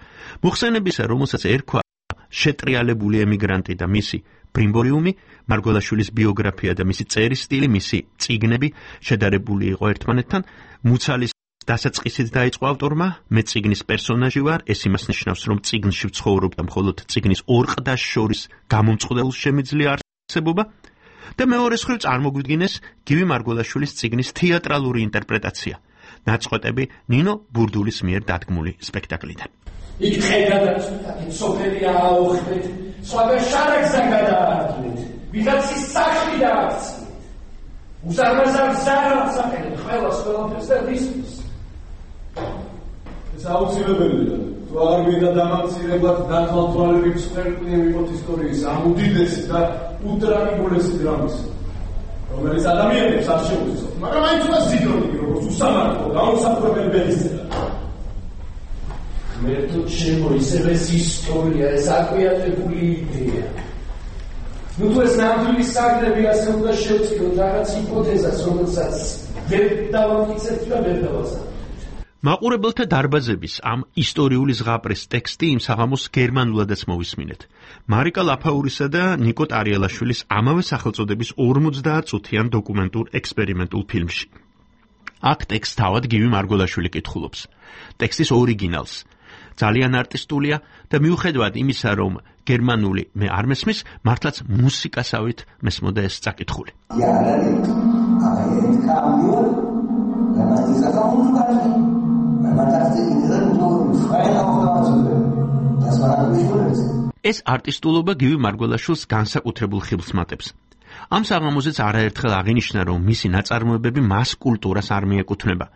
მოხსენებისა, რომელსაც ერქვა შეტრიალებული ემიგრანტი და მისი ბრიმბორიუმი, მარგველაშვილის ბიოგრაფია და მისი წერის სტილი, მისი წიგნები შედარებული იყო ერთმანეთთან, მუცალის დასაწყისით დაიწყო ავტორმა, მე წიგნის პერსონაჟი ვარ, ეს იმას ნიშნავს, რომ წიგნში ვცხოვრობ და მხოლოდ წიგნის ორ ყდას შორის გამომწყდელს შემიძლია არსებობა და მეორეს მხრივ წარმოგვიდგინეს გივი მარგველაშვილის წიგნის თეატრალური ინტერპრეტაცია, ნაწყვეტები ნინო ბურდულის მიერ დადგმული სპექტაკლიდან. იქ ხედავთ, სოფელი აუხდეთ, სხვადასხვა შარაგსა გადაარჩეთ, ვიღაცის სახლი დააქციეთ. უსარმაზარ ზარალს აკეთებ ყველას ყველაფერს და რისთვის. ეს აუცილებელია. თუ არ გვინდა დამამცირებლად დათვალთვალებით სპექტაკლი ვიყოთ ისტორიის ამ უდიდესი და უტრაგიკულესი დრამის, რომელიც ადამიანებს არ შეუძლებს, მაგრამ აი თუ ზიდონი როგორც უსამართლო დაუსაფრთხებელი ბედისწერა. მე თუ ჩემო ისევე ეს ისტორია, ეს აკვიატებული იდეა. ნუ თუ ეს ნამდვილი საგნები ასე უნდა შევწიროთ რაღაც ჰიპოთეზას, რომელსაც ვერ დავამტკიცებთ და ვერ დავასახელოთ. მაყურებელთა დარბაზების ამ ისტორიული ზღაპრის ტექსტი იმ საღამოს გერმანულადაც მოვისმინეთ. მარიკა ლაფაურისა და ნიკო ტარიელაშვილის ამავე სახელწოდების ორმოცდაათ წუთიან დოკუმენტურ ექსპერიმენტულ ფილმში. აქ ტექსტს თავად გივი მარგველაშვილი კითხულობს. ტექსტის ორიგინალს. ძალიან არტისტულია და მიუხედავად იმისა, რომ გერმანული მე არ მესმის, მართლაც მუსიკასავით მესმოდა ეს წაკითხული. ეს არტისტულობა გივი მარგველაშვილს განსაკუთრებულ ხიბლს მატებს. ამ საღამოზეც არაერთხელ აღინიშნა, რომ მისი ნაწარმოებები მას კულტურას არ მიეკუთვნება.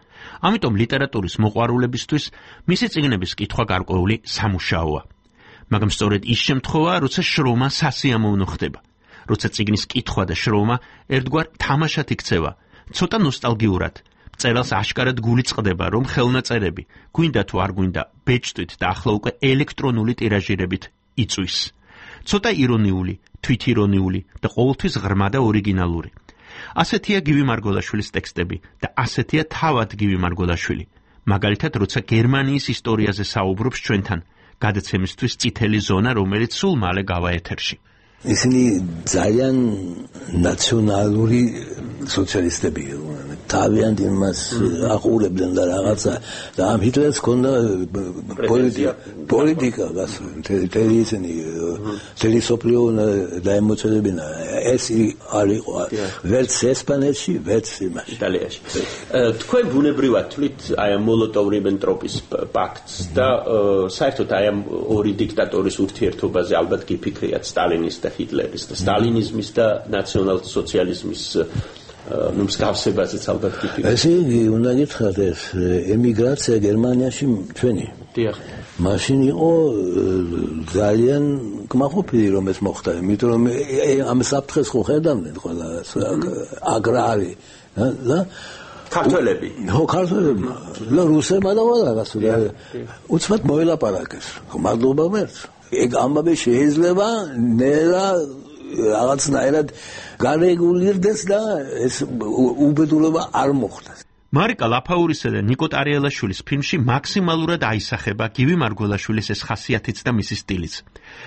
ამიტომ ლიტერატურის მოყვარულებისთვის მისი წიგნების კითხვა გარკვეული სამუშაოა. მაგრამ სწორედ ის შემთხვევაა, როცა შრომა სასიამოვნო ხდება. როცა წიგნის კითხვა და შრომა ერთგვარ თამაშად იქცევა, ცოტა ნოსტალგიურად. მწერალს აშკარად გული წყდება, რომ ხელნაწერები, გვინდა თუ არ გვინდა, ბეჭდვით და ახლა უკვე ელექტრონული ტირაჟირებით იწვის. ცოტა ირონიული, თვითირონიული და ყოველთვის ღრმა და ორიგინალური. ასეთია გივი მარგველაშვილის ტექსტები და ასეთია თავად გივი მარგველაშვილი. მაგალითად, როცა გერმანიის ისტორიაზე საუბრობს ჩვენთან, გადაცემისთვის წითელი ზონა, რომელიც სულ მალე გავა ეთერში. ისინი ძალიან ნაციონალური სოციალისტები თავიანთ იმას აყურებდნენ და რაღაცა და ამ ჰიტლერს ჰქონდა პოლიტიკა პოლიტიკა მთელი ისინი მთელი სოფლიო დაემოწელებინა ეს არ იყო ვერც ესპანეთში ვერც იმაში იტალიაში თქვენ ბუნებრივად თვლით აი ამ მოლოტოვ-რიბენტროპის პაქტს და საერთოდ აი ამ ორი დიქტატორის ურთიერთობაზე ალბათ გიფიქრიათ სტალინის და ჰიტლერის და სტალინიზმის და ნაციონალ-სოციალიზმის ნუ მსგავსებაზეც ალბათ გიფიქრეთ. ესე იგი, უნდა გითხრათ ეს ემიგრაცია გერმანიაში ჩვენი. დიახ. მაშინ იყო ძალიან კმაყოფილი რომ ეს მოხდა, იმიტომ რომ ამ საფრთხეს ხო ხედავდნენ ყველა აგრარი და ქართველები. ხო, ქართველები. და რუსებმა და ყველა რაღაცა უცბად მოელაპარაკეს. მადლობა მერც. ეგ ამბავი შეიძლება ნელა რაღაცნაირად გარეგულირდეს და ეს უბედურება არ მოხდეს. მარიკა ლაფაურისა და ნიკო ტარიელაშვილის ფილმში მაქსიმალურად აისახება გივი მარგველაშვილის ეს ხასიათიც და მისი სტილიც.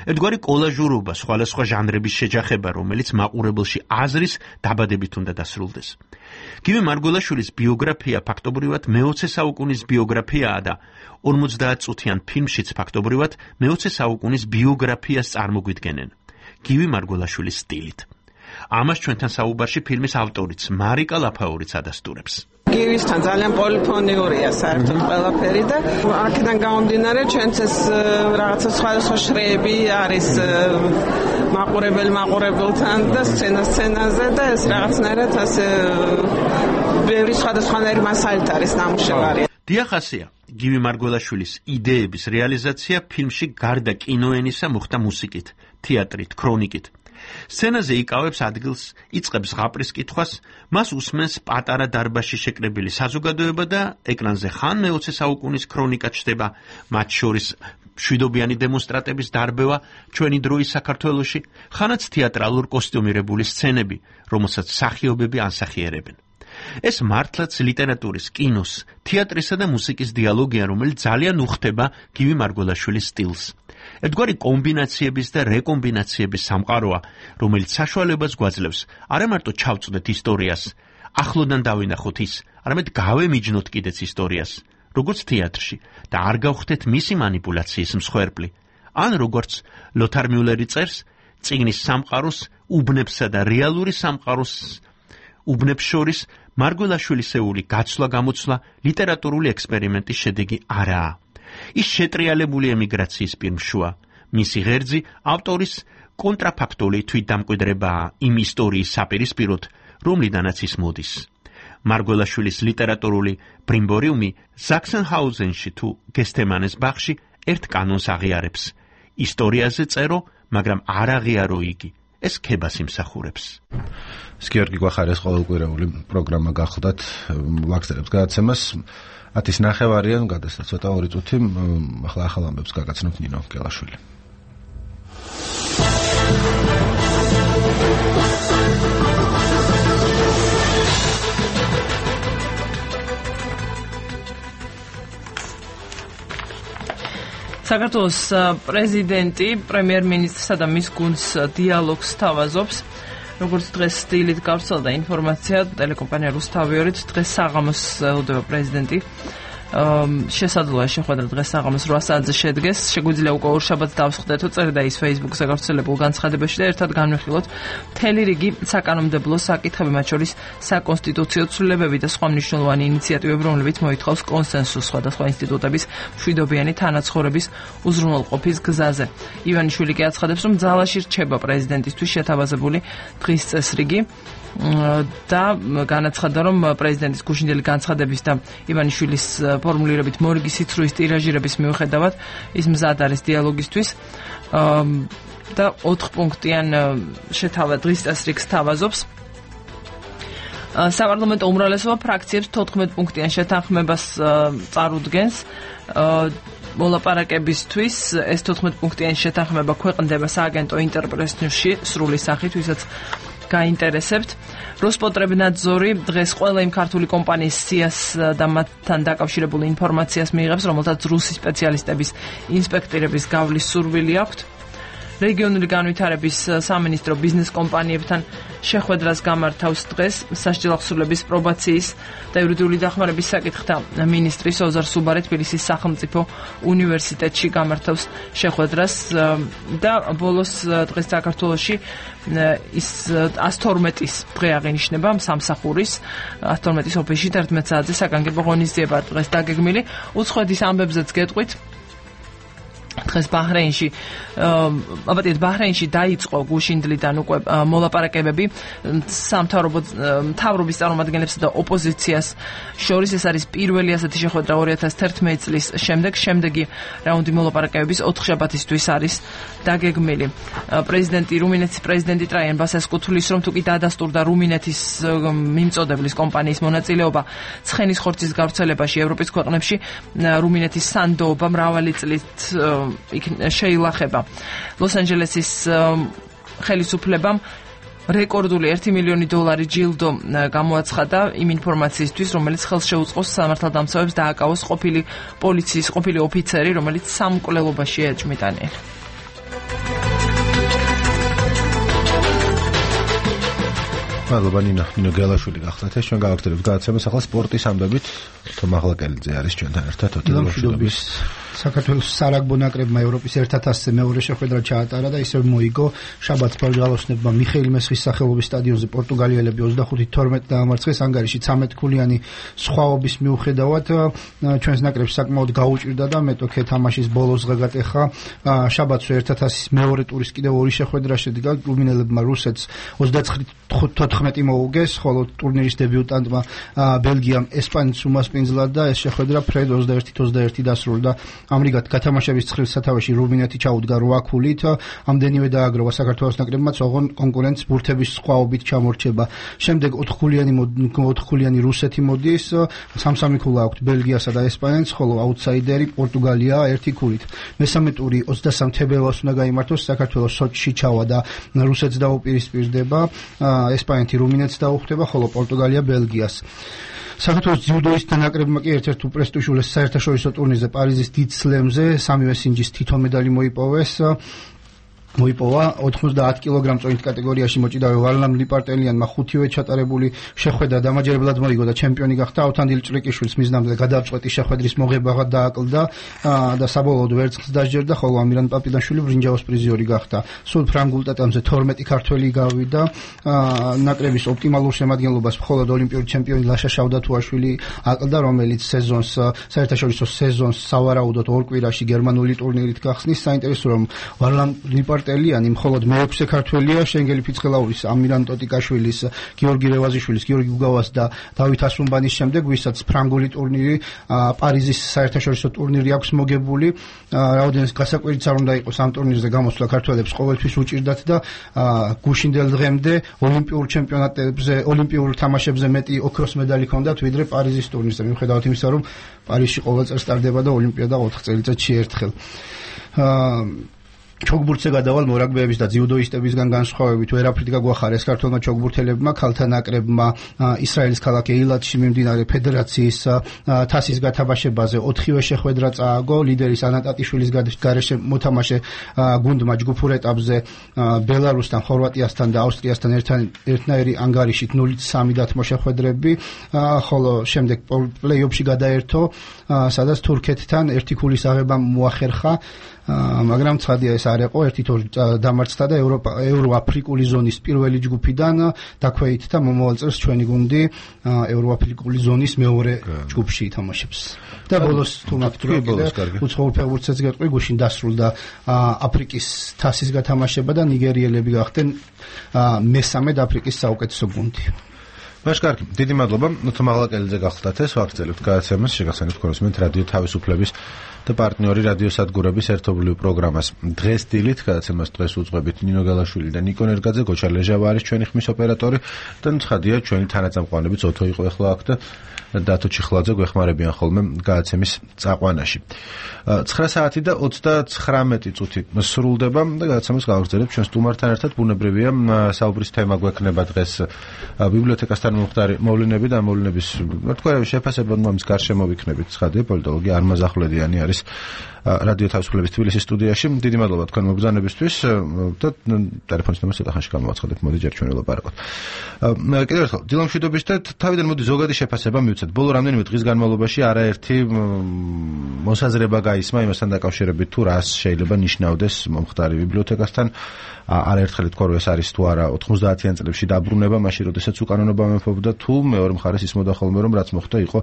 ერთგვარი კოლაჟურობა, სხვადასხვა ჟანრების შეჯახება, რომელიც მაყურებელში აზრის დაბადებით უნდა დასრულდეს. გივი მარგველაშვილის ბიოგრაფია ფაქტობრივად მეოცე საუკუნის ბიოგრაფიაა და ორმოცდაათ წუთიან ფილმშიც ფაქტობრივად მეოცე საუკუნის ბიოგრაფიას წარმოგვიდგენენ. გივი მარგველაშვილის სტილით. ამას ჩვენთან საუბარში ფილმის ავტორიც მარიკა ლაფაურიც ადასტურებს. გივისთან ძალიან პოლიფონიურია საერთოდ ყველაფერი და აქედან გამომდინარე ჩვენც ეს რაღაცა სხვადასხვა შრეები არის მაყურებელი მაყურებელთან და სცენა სცენაზე და ეს რაღაცნაირად ასე ბევრი სხვადასხვანაირი მასალით არის ნამუშევარი. დიახასია, გივი მარგველაშვილის იდეების რეალიზაცია ფილმში გარდა კინოენისა მოხდა მუსიკით, თეატრით, ქრონიკით. სცენაზე იკავებს ადგილს, იწყებს ზღაპრის კითხვას, მას უსმენს პატარა დარბაზში შეკრებილი საზოგადოება და ეკრანზე ხან მეოცე საუკუნის ქრონიკა ჩდება, მათ შორის მშვიდობიანი დემონსტრატების დარბევა ჩვენი დროის საქართველოში, ხანაც თეატრალურ კოსტიუმირებული სცენები, რომელსაც მსახიობები ანსახიერებენ. ეს მართლაც ლიტერატურის, კინოს, თეატრისა და მუსიკის დიალოგია, რომელიც ძალიან უხდება გივი მარგველაშვილის სტილს. ერთგვარი კომბინაციების და რეკომბინაციების სამყაროა, რომელიც საშუალებას გვაძლევს არა მარტო ჩავწვდეთ ისტორიას, ახლოდან დავინახოთ ის, არამედ გავემიჯნოთ კიდეც ისტორიას, როგორც თეატრში და არ გავხდეთ მისი манипуляციის მსხვერპლი. ან როგორც ლოთარ მიულერი წერს, წიგნის სამყაროს, უბნებსა და რეალური სამყაროს უბნებს შორის მარგველაშვილისეული გაცვლა-გამოცვლა ლიტერატურული ექსპერიმენტის შედეგი არაა. ის შეტრიალებული ემიგრაციის პირმშუა. მისი ღერძი ავტორის კონტრაფაქტული თვითდამკვიდრებაა იმ ისტორიის საპირისპიროდ, რომლიდანაც ის მოდის. მარგველაშვილის ლიტერატურული ბრიმბორიუმი ზაქსენჰაუზენში თუ გესტემანეს ბაღში ერთ კანონს აღიარებს. ისტორიაზე წერო, მაგრამ არ აღიარო იგი. ეს ქებას იმსახურებს. გიორგი გვახარეს ყოველკვირეული პროგრამა გახლდათ ვაგზელებს გადაცემას. ათის ნახევარიან გადასცა ცოტა ორი წუთი, ახლა ახალ ამბებს გაგაცნობთ ნინო გელაშვილი. საქართველოს პრეზიდენტი პრემიერ-მინისტრსა და მის გუნდს დიალოგს თავაზობს. როგორც დღეს სტილით გავრცელდა ინფორმაცია, ტელეკომპანია რუსთავიორით დღეს საღამოს ელოდება პრეზიდენტი. შესაძლოა შეხვედრა დღეს საღამოს რვა საათზე შედგეს. შეგვიძლია უკვე ორშაბათს დავსხდეთო, წერდა ის Facebook-ზე გავრცელებულ განცხადებაში და ერთად განვიხილოთ მთელი რიგი საკანონმდებლო საკითხები, მათ შორის საკონსტიტუციო ცვლილებები და სხვა მნიშვნელოვანი ინიციატივები, რომლებიც მოითხოვს კონსენსუსს სხვადასხვა ინსტიტუტების მშვიდობიანი თანაცხოვრების უზრუნველყოფის გზაზე. ივანიშვილი კი აცხადებს, რომ ძალაში რჩება პრეზიდენტისთვის შეთავაზებული დღის წესრიგი. და განაცხადა, რომ პრეზიდენტის გუშინდელი განცხადების და ივანიშვილის ფორმულირებით მორიგი სიცრუის ტირაჟირების მიუხედავად ის მზად არის დიალოგისთვის და ოთხპუნქტიან შეთავაზ დღის წესრიგს თავაზობს. საპარლამენტო უმრავლესობა ფრაქციებს თოთხმეტ-პუნქტიან შეთანხმებას წარუდგენს. მოლაპარაკებისთვის ეს თოთხმეტ-პუნქტიანი შეთანხმება ქვეყნდება სააგენტო ინტერპრეს-ნიუსში სრული სახით, ვისაც გაინტერესებთ. როსპოტრებნადზორი დღეს ყველა იმ ქართული კომპანიის სიას და მათთან დაკავშირებული ინფორმაციას მიიღებს, რომელთაც რუსი სპეციალისტების ინსპექტირების გავლის სურვილი აქვთ. რეგიონული განვითარების სამინისტრო ბიზნეს კომპანიებთან შეხვედრას გამართავს დღეს სასჯელ აღსრულების პრობაციის და იურიდიული დახმარების საკითხთა მინისტრის ოზარ სუბარე თბილისის სახელმწიფო უნივერსიტეტში გამართავს შეხვედრას და ბოლოს დღეს საქართველოში ის ას თორმეტის დღე აღინიშნება სამსახურის ას თორმეტის ოფისში თერთმეტ საათზე საგანგებო ღონისძიება დღეს დაგეგმილი უცხოეთის ამბებზეც გეტყვით დღეს ბაჰრეინში აბატეთ ბაჰრეინში დაიწყო გუშინდლიდან უკვე მოლაპარაკებები სამთავრობო მთავრობის წარმომადგენლებსა და ოპოზიციას შორის ეს არის პირველი ასეთი შეხვედრა ორი ათას თერთმეტი წლის შემდეგ შემდეგი რაუნდი მოლაპარაკებების ოთხშაბათისთვის არის დაგეგმილი პრეზიდენტი რუმინეთის პრეზიდენტი ტრაიან ბასესკუ თulis რომ თუკი დადასტურდა რუმინეთის მიმწოდeblis კომპანიის მონაწილეობა ცხენის ხორცის გავრცელებაში ევროპის ქვეყნებში რუმინეთის სანდოობა მრავალი წლით შეილახება ლოს-ანჯელესის ხელისუფლებამ რეკორდული ერთი მილიონი დოლარი ჯილდო გამოაცხადა იმ ინფორმაციისთვის, რომელიც ხელს შეუწყოს სამართალდამცავებს დააკავოს ყოფილი პოლიციის ყოფილი ოფიცერი, რომელიც სამკვლელობაში ეჭმიტანია. მადლობა ნინო, ნინო გელაშვილი გახლდათ ეს ჩვენ გავაგრძელებთ გადაცემას ახლა სპორტის ამბებით თომა ახალაკელიძე არის ჩვენთან ერთად ოტელოშობის საქართველოს სარაგბო ნაკრებმა ევროპის ერთ ათასზე მეორე შეხვედრა ჩაატარა და ისევ მოიგო შაბათს ბარგალოსნებმა მიხეილ მესხის სახელობის სტადიონზე პორტუგალიელები ოცდახუთი თორმეტი დაამარცხეს ანგარიში ცამეტ ქულიანი სხვაობის მიუხედავად ჩვენს ნაკრებს საკმაოდ გაუჭირდა და მეტოქე თამაშის ბოლოს გაგატეხა შაბათს ერთ ათასის მეორე ტურის კიდევ ორი შეხვედრა შედგა რუმინელებმა რუსეთს ოცდათხუთი თოთხმეტი მოუგეს ხოლო ტურნირის დებიუტანტმა ბელგიამ ესპანეთს უმასპინძლა და ეს შეხვედრა ფრედ ოცდაერთი ოცდაერთი დასრულდა ამრიგად გათამაშების ცხრილ სათავეში რუმინეთი ჩაუდგა რვა ქულით ამდენივე დააგროვა საქართველოს ნაკრებმა ოღონ კონკურენტს ბურთების სხვაობით ჩამორჩება შემდეგ ოთხქულიანი ოთხქულიანი რუსეთი მოდის სამსამი ქულა აქვს ბელგიასა და ესპანეთს ხოლო აუტსაიდერი პორტუგალია ერთი ქულით მესამე ტური ოცდასამ თებერვალს უნდა გაიმართოს საქართველოს სოჩში ჩავა და რუსეთს დაუპირისპირდება ესპანეთი რუმინეთს დაუხვდება ხოლო პორტუგალია ბელგიას საქართველოს ძიუდოისტთა ნაკრებმა კი ერთ-ერთ უპრესტიჟულ საერთაშორისო ტურნირზე პარიზის დიდ სლემზე სამივე სინჯის თითო მედალი მოიპოვეს მოიპოვა ოთხმოცდაათ კილოგრამ წონით კატეგორიაში მოჭიდავე ვარლამ ლიპარტელიანმა ხუთივე ჩატარებული შეხვედრა დამაჯერებლად მოიგო და ჩემპიონი გახდა ავთანდილ ჭრიკიშვილს მიზნამდე გადაწყვეტი შეხვედრის მოღებაღად დააკლდა და საბოლოოდ ვერცხლს დასჯერდა ხოლო ამირან პაპილაშვილი ბრინჯაოს პრიზიორი გახდა სულ ფრანგულ ტატამზე თორმეტი ქართველი გავიდა ნაკრების ოპტიმალურ შემადგენლობას მხოლოდ ოლიმპიური ჩემპიონი ლაშა შავდათუაშვილი აკლდა რომელიც სეზონს საერთაშორისო სეზონს სავარაუდოდ ორ კვირაში გერმანული ტურნირით გახსნის საინტერესო რომ ვარლამ ლიპარტელიანი ელიანი მხოლოდ მეექვსე ქართველია შენგელი ფიცხელაურის ამირან ტოტიკაშვილის გიორგი რევაზიშვილის გიორგი გუგავას და დავით ასუმბანის შემდეგ ვისაც ფრანგული ტურნირი პარიზის საერთაშორისო ტურნირი აქვს მოგებული რაოდენს გასაკვირიც არ უნდა იყოს ამ ტურნირზე გამოსვლა ქართველებს ყოველთვის უჭირდათ და გუშინდელ დღემდე ოლიმპიურ ჩემპიონატებზე ოლიმპიურ თამაშებზე მეტი ოქროს მედალი ჰქონდათ ვიდრე პარიზის ტურნირზე მიუხედავად იმისა რომ პარიზში ყოველ წელს ტარდება და ოლიმპიადა ოთხ წელიწადში ერთხელ ჩოგბურთზე გადავალ მორაგბეების და ძიუდოისტებისგან განსხვავებით ვერაფრით გაგვახარეს ქართველმა ჩოგბურთელებმა ქალთა ნაკრებმა ისრაელის ქალაქ ეილატში მიმდინარე ფედერაციის თასის გათამაშებაზე ოთხივე შეხვედრა წააგო ლიდერის ანა ტატიშვილის გარეშე მოთამაშე გუნდმა ჯგუფურ ეტაპზე ბელარუსთან ხორვატიასთან და ავსტრიასთან ერთნაირი ანგარიშით ნულით სამი დათმო შეხვედრები ხოლო შემდეგ პლეიოფში გადაერთო სადაც თურქეთთან ერთი ქულის აღება მოახერხა მაგრამ ცხადია ეს არ იყო ერთი თორი დამარცხდა და ევროპა ევროაფრიკული ზონის პირველი ჯგუფიდან დაქვეით და მომავალ წელს ჩვენი გუნდი ევროაფრიკული ზონის მეორე ჯგუფში ითამაშებს და ბოლოს თუ მაგ უცხოურ ფეხბურთსაც გეტყვი გუშინ დასრულდა აფრიკის თასის გათამაშება და ნიგერიელები გახდნენ მესამე აფრიკის საუკეთესო გუნდი მაშ კარგი, დიდი მადლობა. თომა ახალაკელიძე გახლდათ ეს ვაგრძელებთ გადაცემას, შეგახსენებთ ქოროსმენთ რადიო თავისუფლების და პარტნიორი რადიოსადგურების ერთობლივ პროგრამას. დღეს დილით გადაცემას დღეს უძღვებით ნინო გელაშვილი და ნიკო ნერგაძე, გოჩა ლეჟავა არის ჩვენი ხმის ოპერატორი და ცხადია ჩვენი თანაწამყვანები ზოთო იყო ახლა აქ და დათო ჩიხლაძე გვეხმარებიან ხოლმე გადაცემის წაყვანაში. ცხრა საათი და ოცდაცხრამეტი წუთი სრულდება და გადაცემას გავაგრძელებთ ჩვენ სტუმართან ერთად ბუნებრივია საუბრის თემა გვექნება დღეს ბიბლიოთეკასთან მომხდარი მოვლენები და მოვლენების თქვა შეფასებად მომის გარშემო ვიქნებით ცხადია პოლიტოლოგი არმაზ ახვლედიანი არის არის რადიო თავისუფლების თბილისის სტუდიაში. დიდი მადლობა თქვენ მობრძანებისთვის და ტელეფონის ნომერს ცოტა ხანში გამოვაცხადეთ. მოდი ჯერ ჩვენ ველაპარაკოთ. კიდევ ერთხელ, დილამშვიდობის და თავიდან მოდი ზოგადი შეფასება მივცეთ. ბოლო რამდენიმე დღის განმავლობაში არაერთი მოსაზრება გაისმა იმასთან დაკავშირებით თუ რას შეიძლება ნიშნავდეს მომხდარი ბიბლიოთეკასთან. არაერთხელ თქვა რომ ეს არის თუ არა ოთხმოცდაათიან წლებში დაბრუნება, მაშინ როდესაც უკანონობა მეფობდა, თუ მეორე მხარეს ისმოდა ხოლმე რომ რაც მოხდა იყო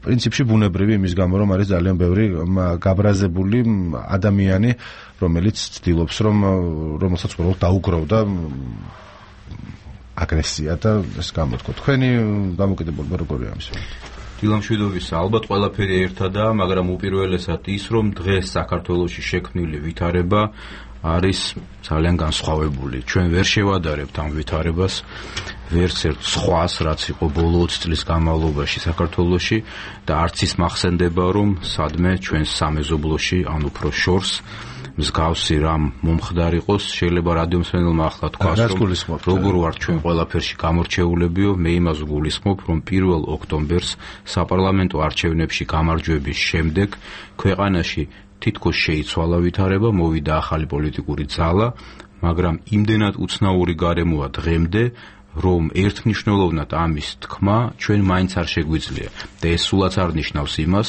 პრინციპში ბუნებრივი იმის გამო რომ არის ძალიან ბევრი გაბრაზებული ადამიანი, რომელიც ცდილობს რომ რომელსაც უბრალოდ დაუგროვდა აგრესია და ეს გამოთქვა. თქვენი დამოკიდებულება როგორია ამის? დილამშვიდობისა, ალბათ ყველაფერი ერთადაა, მაგრამ უპირველესად ის რომ დღეს საქართველოში შექმნილი ვითარება არის ძალიან განსხვავებული. ჩვენ ვერ შევადარებთ ამ ვითარებას, ვერც ერთ სხვას, რაც იყო ბოლო ოცი წლის განმავლობაში საქართველოში და არც ის მახსენდება, რომ სადმე ჩვენ სამეზობლოში, ან უფრო შორს მსგავსი რამ მომხდარიყოს. შეიძლება რადიომსმენელმა ახლა თქვას, რომ როგორ ვარ ჩვენ ყველაფერში გამორჩეულებიო, მე იმას გულისხმობ, რომ პირველ ოქტომბერს საპარლამენტო არჩევნებში გამარჯვების შემდეგ ქვეყანაში თითქოს შეიცვალა ვითარება, მოვიდა ახალი პოლიტიკური ძალა, მაგრამ იმდენად უცნაური გარემოა დღემდე, რომ ერთმნიშვნელოვნად ამის თქმა ჩვენ მაინც არ შეგვიძლია. და ეს სულაც არ ნიშნავს იმას,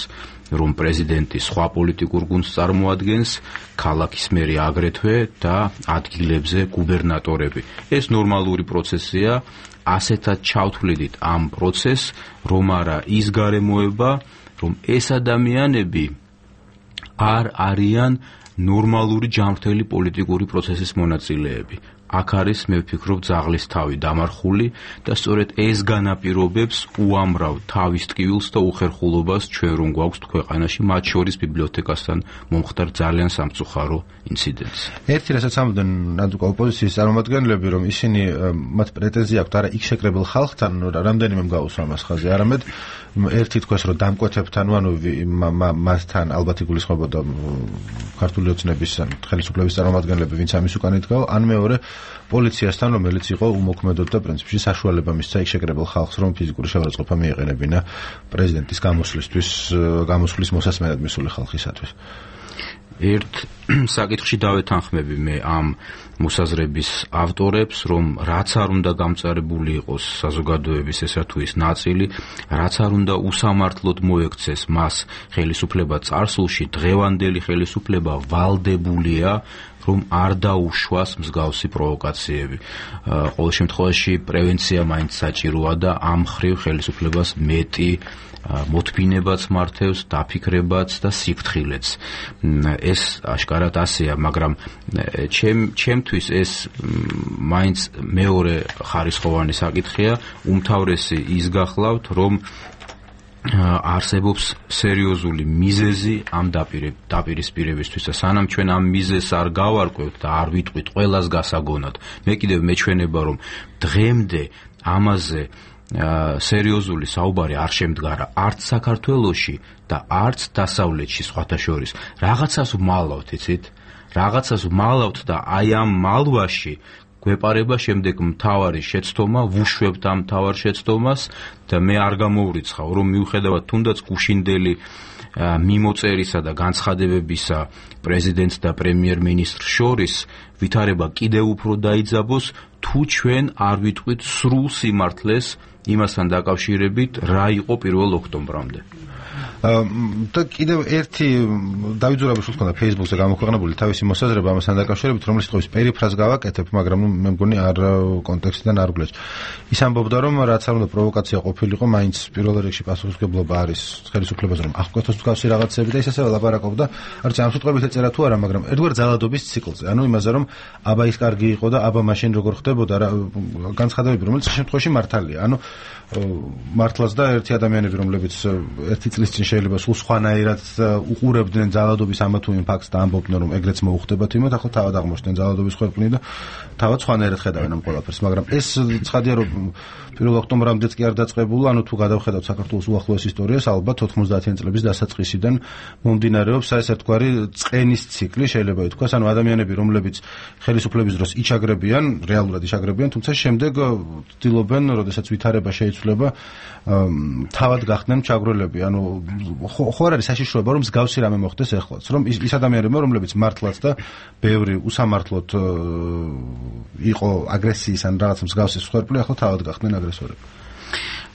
რომ პრეზიდენტი სხვა პოლიტიკურ გუნდს წარმოადგენს, ქალაქის მერი აგრეთვე და ადგილებზე გუბერნატორები. ეს ნორმალური პროცესია, ასეთად ჩავთვლიდით ამ პროცესს, რომ არა ის გარემოება, რომ ეს ადამიანები არ არიან ნორმალური ჯანმრთელი პოლიტიკური პროცესის მონაწილეები. აქ არის, მე ვფიქრობ, ძაღლის თავი დამარხული და სწორედ ეს განაპირობებს უამრავ თავის ტკივილს და უხერხულობას ჩვენ რომ გვაქვს ქვეყანაში, მათ შორის ბიბლიოთეკასთან მომხდარ ძალიან სამწუხარო ინციდენტს. ერთი რასაც ამბობენ ნაცუკა ოპოზიციის წარმომადგენლები, რომ ისინი მათ პრეტენზია აქვთ არა იქ შეკრებილ ხალხთან, რამდენიმე მგაუსვა მას ხაზი, არამედ ერთი თქვეს რომ დამკვეთებთან, ანუ მასთან ალბათ იგულისხმებოდა ქართული ოცნების ან ხელისუფლების წარმომადგენლები, ვინც ამის უკან იდგაო, ან მეორე პოლიციასთან, რომელიც იყო უმოქმედოდ და პრინციპში საშუალება მისცა იქ შეკრებილ ხალხს, რომ ფიზიკური შეურაცხყოფა მიეყენებინა პრეზიდენტის გამოსვლისთვის, გამოსვლის მოსასმენად მისული ხალხისათვის. ერთ საკითხში დავეთანხმები მე ამ მოსაზრების ავტორებს, რომ რაც არ უნდა გამწარებული იყოს საზოგადოების ესა თუ ის ნაწილი, რაც არ უნდა უსამართლოდ მოექცეს მას ხელისუფლება წარსულში, დღევანდელი ხელისუფლება ვალდებულია რომ არ დაუშვას მსგავსი პროვოკაციები. ყოველ შემთხვევაში პრევენცია მაინც საჭიროა და ამ ხრივ ხელისუფლებას მეტი მოთმინებაც მართევს, დაფიქრებაც და სიფრთხილეც. ეს აშკარად ასეა, მაგრამ ჩემთვის ეს მაინც მეორე ხარისხოვანი საკითხია. უმთავრესი ის გახლავთ, რომ არსებობს სერიოზული მიზეზი ამ დაპირისპირებისთვის და სანამ ჩვენ ამ მიზეზს არ გავარკვევთ და არ ვიტყვით ყველას გასაგონად, მე კიდევ მეჩვენება, რომ დღემდე ამაზე სერიოზული საუბარი არ შემდგარა არც საქართველოში და არც დასავლეთში სხვათა შორის. რაღაცას ვმალავთ, იცით? რაღაცას ვმალავთ და აი ამ მალვაში გვეპარება შემდეგ მთავარი შეცდომა, ვუშვებთ ამ მთავარ შეცდომას და მე არ გამოვრიცხავ, რომ მიუხედავად თუნდაც გუშინდელი მიმოწერისა და განცხადებებისა პრეზიდენტს და პრემიერ-მინისტრს შორის ვითარება კიდევ უფრო დაიძაბოს, თუ ჩვენ არ ვიტყვით სრულ სიმართლეს იმასთან დაკავშირებით, რა იყო პირველ ოქტომბრამდე. და კიდევ ერთი დავით ზურაბიშვილს ჰქონდა Facebook-ზე გამოქვეყნებული თავისი მოსაზრება ამასთან დაკავშირებით, რომელიც თვითონ პერიფრაზს გავაკეთებ, მაგრამ მე მგონი არ კონტექსტიდან არ გვლეშ. ის ამბობდა, რომ რაც არ უნდა პროვოკაცია ყოფილიყო, მაინც პირველ რიგში პასუხისმგებლობა არის ხელისუფლებაზე, რომ აღკვეთოს მსგავსი რაღაცები და ის ასევე ლაპარაკობდა, არც ამ სიტყვებით ეწერა თუ არა, მაგრამ ერთგვარ ძალადობის ციკლზე. ანუ იმაზე, რომ აბა ის კარგი იყო და აბა მაშინ როგორ ხდებოდა რა განცხადებები, რომელიც შემთხვევაში მართალია. ანუ მართლაც და ერთი ადამიანები, რომლებიც ერთი წლის წინ შეიძლება სულ სხვანაირად უყურებდნენ ძალადობის ამა თუ იმ ფაქტს და ამბობდნენ, რომ ეგრეც მოუხდებათ იმათ, ახლა თავად აღმოჩნდნენ ძალადობის ხვეპნი და თავად სხვანაირად ხედავენ ამ ყველაფერს, მაგრამ ეს ცხადია, რომ პირველ ოქტომბრამდეც კი არ დაწყებულა, ანუ თუ გადავხედავთ საქართველოს უახლოეს ისტორიას, ალბათ ოთხმოცდაათიან წლების დასაწყისიდან მომდინარეობს ეს ერთგვარი წყენის ციკლი, შეიძლება ითქვას, ანუ ადამიანები, რომლებიც ხელისუფლების დროს იჩაგრებიან, რეალურად იჩაგრებიან, თუმცა შემდეგ ცდილობენ, როდესაც ვითარება შეიცვლება, თავად გახდნენ ჩაგვრელები, ანუ ხო არ არის საშიშროება რომ მსგავსი რამე მოხდეს ახლაც რომ ის ადამიანები რომლებიც მართლაც და ბევრი უსამართლოდ იყო აგრესიის ან რაღაც მსგავსი სხერფლი ახლა თავად გახდნენ აგრესორები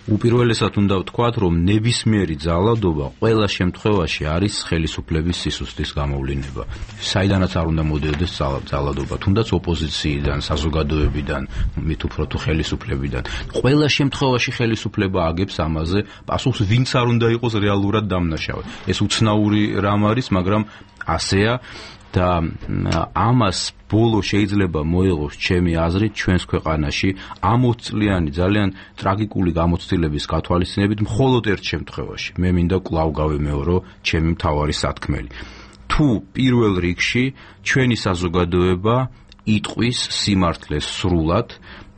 უპირველესად უნდა ვთქვათ, რომ ნებისმიერი ძალადობა ყველა შემთხვევაში არის ხელისუფლების სისუსტის გამოვლინება. საიდანაც არ უნდა მოდიოდეს ძალადობა, თუნდაც ოპოზიციიდან, საზოგადოებიდან, მით უფრო თუ ხელისუფლებიდან. ყველა შემთხვევაში ხელისუფლება აგებს ამაზე პასუხს, ვინც არ უნდა იყოს რეალურად დამნაშავე. ეს უცნაური რამ არის, მაგრამ ასეა და ამას ბოლო შეიძლება მოიღოს ჩემი აზრით ჩვენს ქვეყანაში ამ ოცი წლიანი ძალიან ტრაგიკული გამოცდილების გათვალისწინებით მხოლოდ ერთ შემთხვევაში. მე მინდა კვლავ გავიმეორო ჩემი მთავარი სათქმელი. თუ პირველ რიგში ჩვენი საზოგადოება იტყვის სიმართლეს სრულად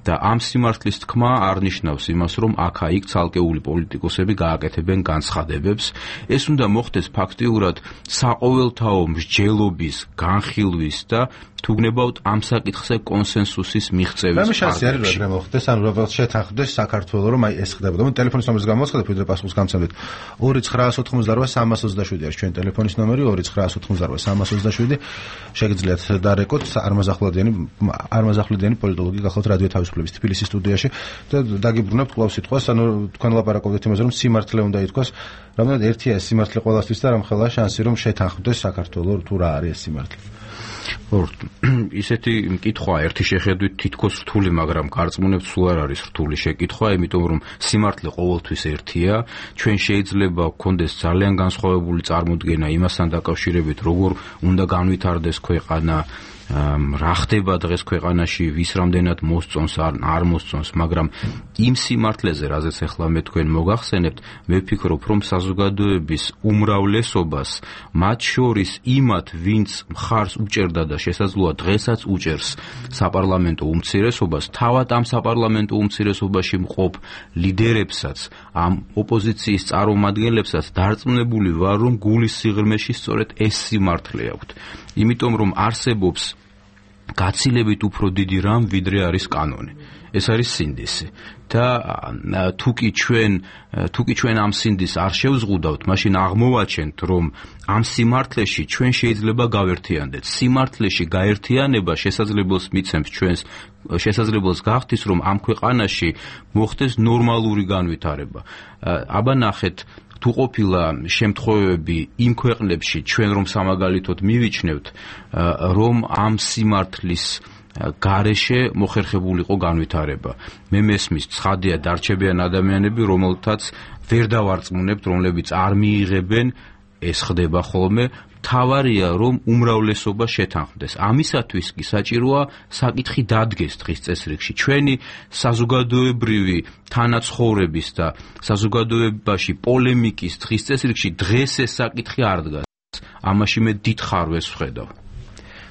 და ამ სიმართლის თქმა არ ნიშნავს იმას, რომ აქა-იქ ცალკეული პოლიტიკოსები გააკეთებენ განცხადებებს. ეს უნდა მოხდეს ფაქტიურად საყოველთაო მსჯელობის, განხილვის და თუ გნებავთ ამ საკითხზე კონსენსუსის მიღწევის. რამე შანსი არის რომ ეგრე მოხდეს, ან უბრალოდ შეთანხმდეს საქართველოს რომ აი ეს ხდებოდა. მე ტელეფონის ნომერს გამოაცხადებ, ვიდრე პასუხს გამცემდით. ორი ცხრაას ოთხმოცდაოთხი სამას ოცდაშვიდი არის ჩვენი ტელეფონის ნომერი, ორი ცხრაას ოთხმოცდაოთხი სამას ოცდაშვიდი. შეგიძლიათ დარეკოთ არმაზახვლედიანი არმაზახვლედიანი პოლიტოლოგი გახლავთ რადიო თავისუფლების თბილისის სტუდიაში და დაგიბრუნებთ კვლავ სიტყვას, ანუ თქვენ ლაპარაკობთ იმაზე რომ სიმართლე უნდა ითქვას, რამოდენად ერთია ეს სიმართლე ყველასთვის და რამხელა შანსი რომ შეთანხმდეს საქართველოს თუ რა არის ეს სიმართლე. ისეთი მკითხვა ერთი შეხედვით თითქოს რთული, მაგრამ გარწმუნებთ სულ არ არის რთული შეკითხვა, იმიტომ რომ სიმართლე ყოველთვის ერთია. ჩვენ შეიძლება გქონდეს ძალიან განსხვავებული წარმოდგენა იმასთან დაკავშირებით, როგორ უნდა განვითარდეს ქვეყანა, რა ხდება დღეს ქვეყანაში, ვის რამდენად მოსწონს არ მოსწონს, მაგრამ იმ სიმართლეზე, რაზეც ახლა მე თქვენ მოგახსენებთ, მე ვფიქრობ, რომ საზოგადოების უმრავლესობას, მათ შორის იმათ, ვინც მხარს უჭერდა და შესაძლოა დღესაც უჭერს საპარლამენტო უმცირესობას, თავად ამ საპარლამენტო უმცირესობაში მყოფ ლიდერებსაც, ამ ოპოზიციის წარმომადგენლებსაც დარწმუნებული ვარ, რომ გულის სიღრმეში სწორედ ეს სიმართლე აქვთ. იმიტომ რომ არსებობს გაცილებით უფრო დიდი რამ, ვიდრე არის კანონი. ეს არის სინდისი. და თუკი ჩვენ თუკი ჩვენ ამ სინდისს არ შევზღუდავთ, მაშინ აღმოვაჩენთ, რომ ამ სიმართლეში ჩვენ შეიძლება გავერთიანდეთ. სიმართლეში გაერთიანება შესაძლებელს მიცემს ჩვენს შესაძლებელს გახდის, რომ ამ ქვეყანაში მოხდეს ნორმალური განვითარება. აბა ნახეთ თუ ყოფილა შემთხვევები იმ ქვეყნებში ჩვენ რომ სამაგალითოდ მივიჩნევთ, რომ ამ სიმართლის გარეშე მოხერხებულიყო განვითარება. მე მესმის ცხადია დარჩებიან ადამიანები, რომელთაც ვერ დავარწმუნებთ, რომლებიც არ მიიღებენ, ეს ხდება ხოლმე. თავარია რომ უმრავლესობა შეთანხმდეს. ამისათვის კი საჭიროა საკითხი დადგეს დღის წესრიგში. ჩვენი საზოგადოებრივი თანაცხოვრების და საზოგადოებაში პოლემიკის დღის წესრიგში დღეს ეს საკითხი არ დგას. ამაში მე დიდ ხარვეს ვხედავ.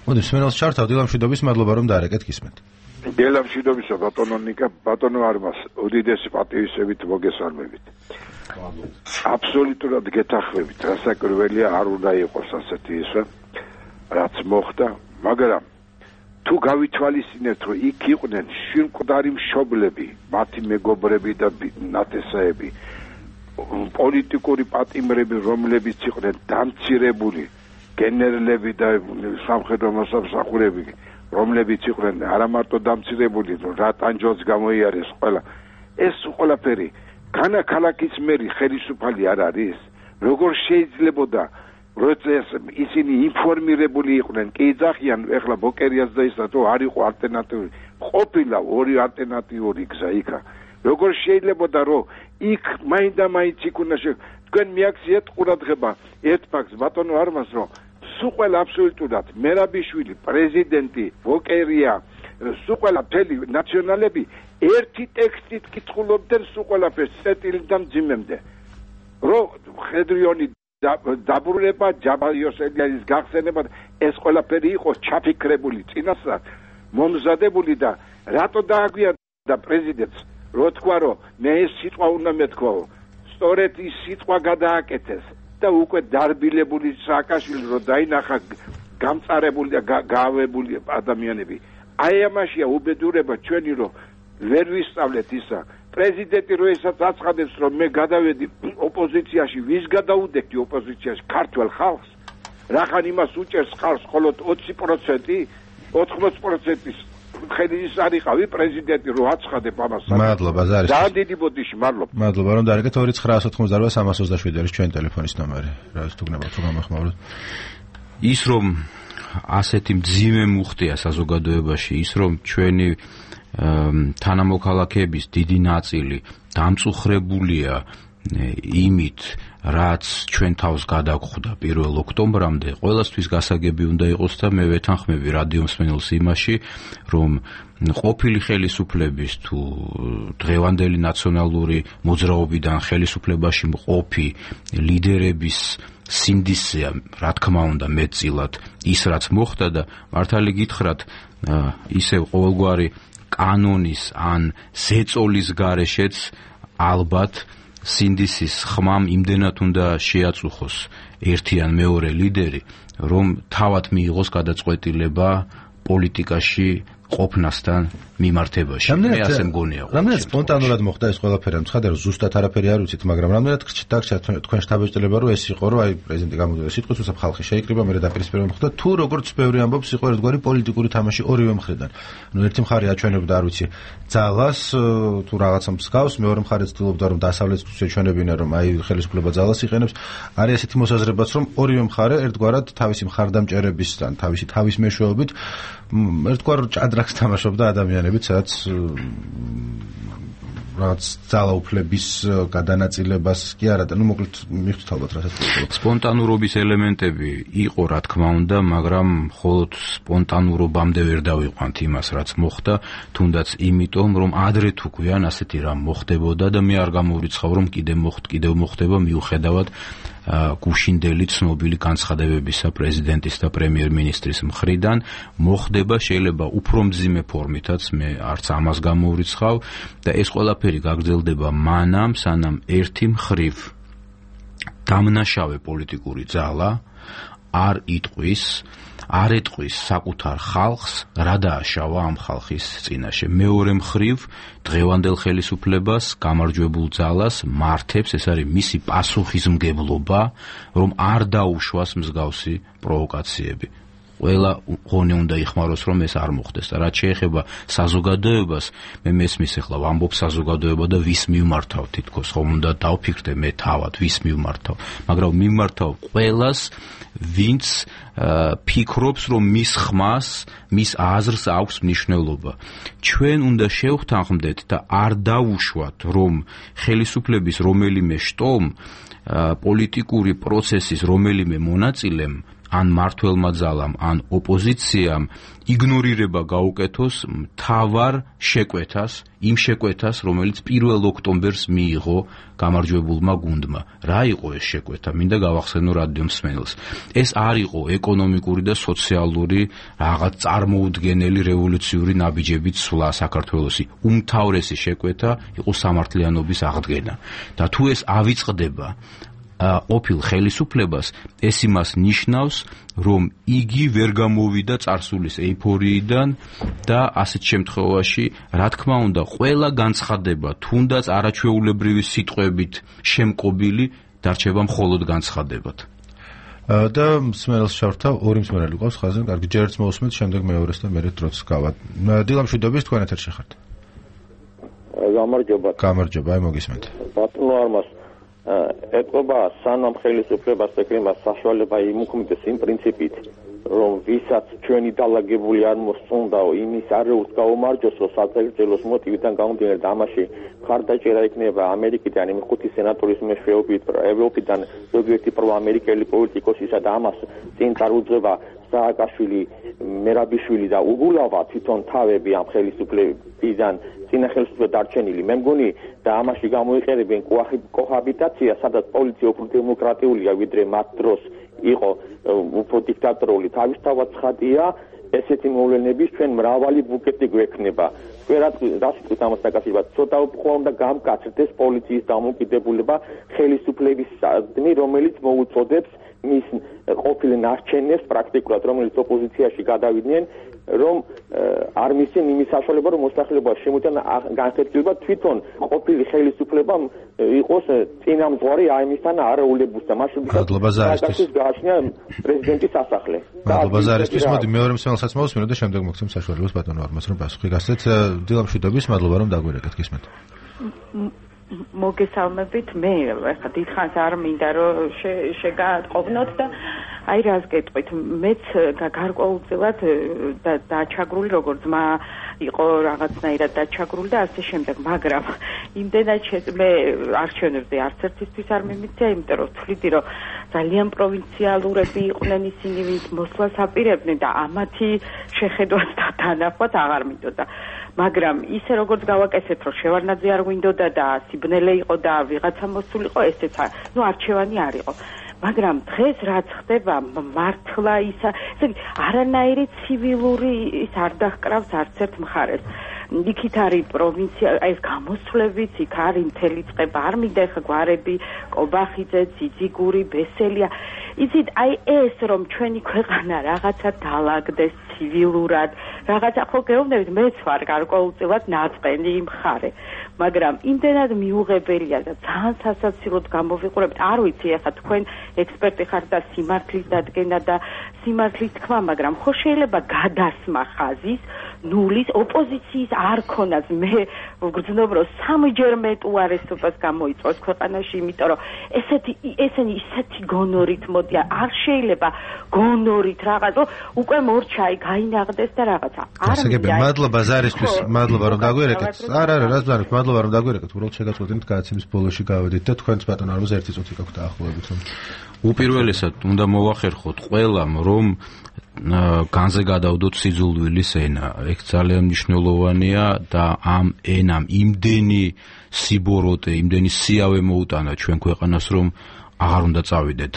მოდი სმენელს ჩართავ, დილამშვიდობის, მადლობა რომ დაარეკეთ გისმენთ. დილამშვიდობისა ბატონო ნიკა, ბატონო არმას, უდიდესი პატივისებით მოგესალმებით. აბსოლუტურად გეთანხმებით, რასაკვირველია არ უნდა იყოს ასეთი ისე, რაც მოხდა, მაგრამ თუ გავითვალისწინებთ, რომ იქ იყვნენ შვილმკვდარი მშობლები, მათი მეგობრები და ნათესაები, პოლიტიკური პატიმრები, რომლებიც იყვნენ დამცირებული, გენერლები და სამხედრო მოსამსახურეები, რომლებიც იყვნენ არა მარტო დამცირებული, რა ტანჯოს გამოიარეს ყველა, ეს ყველაფერი განა ქალაქის მერი ხელისუფალი არ არის? როგორ შეიძლებოდა როცა ისინი ინფორმირებული იყვნენ, კი იძახიან ეხლა ბოკერიას და ისა თუ არ იყო ალტერნატიული, ყოფილა ორი ალტერნატიული გზა იქა. როგორ შეიძლებოდა რომ იქ მაინდა-მაინც იქ უნდა თქვენ მიაქციეთ ყურადღება ერთ ფაქტს ბატონო არმას, რომ სულ ყველა აბსოლუტურად მერაბიშვილი, პრეზიდენტი, ბოკერია, სულ ყველა მთელი ნაციონალები ერთი ტექსტით კითხულობდნენ სულ ყველაფერს წეტილიდან მძიმემდე. რომ ხედრიონი დაბრუნება, ჯაბა იოსელიანის გახსენება, ეს ყველაფერი იყო ჩაფიქრებული წინასწარ, მომზადებული და რატო დააგვიანდა პრეზიდენტს, რო თქვა, რომ მე ეს სიტყვა უნდა მეთქვაო, სწორედ ის სიტყვა გადააკეთეს და უკვე დარბილებული სააკაშვილი რო დაინახა გამწარებული და გავებული ადამიანები. აი ამაშია უბედურება ჩვენი, რომ ვერ ვისწავლეთ ისა, პრეზიდენტი რო ესაც აცხადებს რომ მე გადავედი ოპოზიციაში, ვის გადაუდექი ოპოზიციაში? ქართველ ხალხს? რახან იმას უჭერს ხალხს მხოლოდ ოცი პროცენტი, ოთხმოცი პროცენტის ხელის არიყავი პრეზიდენტი რო აცხადებ ამას. მადლობა ზარის. ძალიან დიდი ბოდიში, მადლობა. მადლობა რომ დაარეკეთ ორი ცხრა ათოთხმოცდაოთხ სამას ოცდაშვიდი არის ჩვენი ტელეფონის ნომერი. რა თუ გნებავთ თუ გამახმაუროთ. ის რომ ასეთი მძიმე მუხტია საზოგადოებაში, ის რომ ჩვენი თანამოქალაქეების დიდი ნაწილი დამწუხრებულია იმით, რაც ჩვენ თავს გადაგხვდა პირველ ოქტომბრამდე, ყველასთვის გასაგები უნდა იყოს და მე ვეთანხმები რადიო მსმენელს იმაში, რომ ყოფილი ხელისუფლების თუ დღევანდელი ნაციონალური მოძრაობიდან ხელისუფლებაში მყოფი ლიდერების სინდისია, რა თქმა უნდა, მეტწილად ის რაც მოხდა და მართალი გითხრათ, ისევ ყოველგვარი კანონის ან ზეწოლის გარეშეც ალბათ სინდისის ხმამ იმდენად უნდა შეაწუხოს ერთი ან მეორე ლიდერი, რომ თავად მიიღოს გადაწყვეტილება პოლიტიკაში ყოფნასთან მიმართებაში. მე ასე მგონია. რამდენად სპონტანურად მოხდა ეს ყველაფერი? ცხადია რომ ზუსტად არაფერი არ ვიცით, მაგრამ რამდენად დაგჭირდა თქვენ შტაბ-ჭრება რომ ეს იყო, რომ აი პრეზიდენტი გამოდიოდა სიტყვის, უსაფრთხო ხალხი შეიკრიბა, მე დაპირისპირება მოხდა, თუ როგორც ბევრი ამბობს, იყო ერთგვარი პოლიტიკური თამაში ორივე მხრიდან. ნუ ერთი მხარე აჩვენებდა, არ ვიცი, ძალას თუ რაღაცა მსგავს, მეორე მხარე ცდილობდა რომ დასავლეთს ეჩვენებინა, რომ აი ხელისუფლება ძალას იყენებს. არის ესეთი მოსაზრებაც, რომ ორივე მხარე ერთგვარად თავისი მხარდამჭერებისგან, თავისი თავის მეშვეობით ერთგვარ ჭადრაკს თამაშობდა ადამიანებით, სადაც რაც ძალაუფლების გადანაწილებას კი არა და ნუ მოკლედ მივხვდით ალბათ რასაც სპონტანურობის ელემენტები იყო რა თქმა უნდა, მაგრამ მხოლოდ სპონტანურობამდე ვერ დავიყვანთ იმას რაც მოხდა, თუნდაც იმიტომ რომ ადრე თუ გვიან ასეთი რამ მოხდებოდა და მე არ გამოვრიცხავ რომ კიდე მოხდ კიდევ მოხდება მიუხედავად გუშინდელი ცნობილი განცხადებებისა პრეზიდენტის და პრემიერ-მინისტრის მხრიდან მოხდება შეიძლება უფრო მძიმე ფორმითაც მე არც ამას გამოვრიცხავ და ეს ყველაფერი გაგრძელდება მანამ სანამ ერთი მხრივ დამნაშავე პოლიტიკური ძალა არ იტყვის არ ეტყვის საკუთარ ხალხს რა დააშავა ამ ხალხის წინაშე. მეორე მხრივ დღევანდელ ხელისუფლებას გამარჯვებულ ძალას მართებს ეს არის მისი პასუხისმგებლობა რომ არ დაუშვას მსგავსი პროვოკაციები. ყველა ღონე უნდა იხმაროს რომ ეს არ მოხდეს და რაც შეეხება საზოგადოებას მე მესმის ახლა ვამბობ საზოგადოება და ვის მიმართავ თითქოს ხომ უნდა დავფიქრდე მე თავად ვის მიმართავ მაგრამ მიმართავ ყველას ვინც ფიქრობს რომ მის ხმას მის აზრს აქვს მნიშვნელობა ჩვენ უნდა შევხთანხმდეთ და არ დაუშვათ რომ ხელისუფლების რომელიმე შტომ პოლიტიკური პროცესის რომელიმე მონაწილემ ან მართველმა ძალამ, ან ოპოზიციამ იგნორირება გაუკეთოს მთავარ შეკვეთას, იმ შეკვეთას, რომელიც პირველ ოქტომბერს მიიღო გამარჯვებულმა გუნდმა. რა იყო ეს შეკვეთა? მინდა გავახსენო რადიო მსმენელს. ეს არ იყო ეკონომიკური და სოციალური რაღაც წარმოუდგენელი რევოლუციური ნაბიჯებით სვლა საქართველოსი. უმთავრესი შეკვეთა იყო სამართლიანობის აღდგენა. და თუ ეს ავიწყდება ყოფილ ხელისუფლებას ეს იმას ნიშნავს რომ იგი ვერ გამოვიდა წარსულის ეიფორიიდან და ასეთ შემთხვევაში რა თქმა უნდა ყველა განცხადება თუნდაც არაჩვეულებრივი სიტყვებით შემკობილი დარჩება მხოლოდ განცხადებად და მსმენელს შევრთავ ორი მსმენელი ყავს ხაზზე კარგი ჯერ ერთს მოусმენთ შემდეგ მეორეს და მერე დროც გავად დილამშვიდობის თქვენ ეთერში ხართ გამარჯობა გამარჯობა აი მოგისმენთ ბატონო არმას ეთყობა სანამ ხელისუფლებას ეკრება საშუალება იმუქმდეს იმ პრინციპით რომ ვისაც ჩვენი დალაგებული არ მოსწონდაო იმის არეულს გაუმარჯოს რომ საწელწელოს მოტივიდან გამომდინარე და ამაში მხარდაჭერა იქნება ამერიკიდან იმ ხუთი სენატორის მეშვეობით ევროპიდან ზოგიერთი პროამერიკელი პოლიტიკოსისა და ამას წინ წარუძღება სააკაშვილი მერაბიშვილი და უგულავა თვითონ თავები ამ ხელისუფლებიდან წინა ხელისუფლება დარჩენილი მე მგონი და ამაში გამოიყენებენ კოჰაბიტაცია სადაც პოლიცია უფრო დემოკრატიულია ვიდრე მათ დროს იყო უფრო დიქტატორული თავისთავად ცხადია ესეთი მოვლენების ჩვენ მრავალი ბუკეტი გვექნება ვერაც რას ვიტყვით ამას დაკავშირებად ცოტა უფრო უნდა გამკაცრდეს პოლიციის დამოუკიდებლობა ხელისუფლების სადგმი რომელიც მოუწოდებს მის ყოფილ ნარჩენებს პრაქტიკულად, რომელიც ოპოზიციაში გადავიდნენ, რომ არ მისცენ იმის საშუალება, რომ მოსახლეობა შემოიტან განხეთქილება თვითონ ყოფილი ხელისუფლება იყოს წინამძღვარი აიმისთან არაულებულს და მაშინ გააჩნია პრეზიდენტის სასახლე. მადლობა ზარისთვის. მოდი მეორე მსმენელსაც მოვუსმინოთ და შემდეგ მოგცემ საშუალებას ბატონო არმას რომ პასუხი გასცეთ. დილამშვიდობის, მადლობა რომ დაგვირეკეთ, გისმენთ. მოგესალმებით, მე ახლა დიდხანს არ მინდა რომ შეგატყობნოთ და აი რას გეტყვით, მეც გარკვეულწილად დაჩაგრული როგორც მა იყო რაღაცნაირად დაჩაგრული და ასე შემდეგ, მაგრამ იმდენად მე არჩევნებზე არც ერთისთვის არ მიმიწია, იმიტომ რომ ვთვლიდი რომ ძალიან პროვინციალურები იყვნენ ისინი, ვინც მოსვლას აპირებდნენ და ამათი შეხედვაც და დანახვაც აღარ მინდოდა. მაგრამ ისე როგორც გავაკეთეთ, რომ შევარნაძე არ გვინდოდა და სიბნელე იყო და ვიღაცა მოსულიყო, ესეც ნუ არჩევანი არ იყო. მაგრამ დღეს რაც ხდება, მართლა ისა, ესე იგი, არანაირი ცივილური ის არ დაჰკრავს არც ერთ მხარეს. იქით არის პროვინცია, აი ეს გამოსვლებიც, იქ არის მთელი წყება, არ მინდა ეხა გვარები, კობახიძე, ძიძიგური, ბესელია. იცით, აი ეს რომ ჩვენი ქვეყანა რაღაცა დაალაგდეს ცივილურად, რაღაცა ხო გეუბნებით, მეც ვარ გარკვეულწილად ნაწყენი მხარე. მაგრამ იმდენად მიუღებელია და ძალიან სასაცილოდ გამოვიყურებთ, არ ვიცი ახლა თქვენ ექსპერტი ხართ და სიმართლის დადგენა და სიმართლის თქმა, მაგრამ ხო შეიძლება გადასმა ხაზის ნულის ოპოზიციის არ ქონას. მე ვგრძნობ რომ სამჯერ მეტ უარესობას გამოიწვევს ქვეყანაში, იმიტომ რომ ესეთი ესენი ისეთი გონორით მოდიან, არ შეიძლება გონორით რაღაც უკვე მორჩაი გაინაღდეს და რაღაცა. არ მინდა. მადლობა ზარისთვის, მადლობა რომ დაგვერეკეთ. არა, არა, რაც ბანით, მადლობა რომ დაგვერეკეთ. უბრალოდ შეგაწყვეტინეთ გადაცემის ბოლოში გავედით და თქვენც ბატონ არმაზ ერთი წუთი გაქვთ დაახლოებით. უპირველესად უნდა მოვახერხოთ ყველამ, რომ განზე გადავდოთ სიძულვილის ენა. ეგ ძალიან მნიშვნელოვანია და ამ ენამ იმდენი სიბოროტე, იმდენი სიავე მოუტანა ჩვენ ქვეყანას, რომ აღარ უნდა წავიდეთ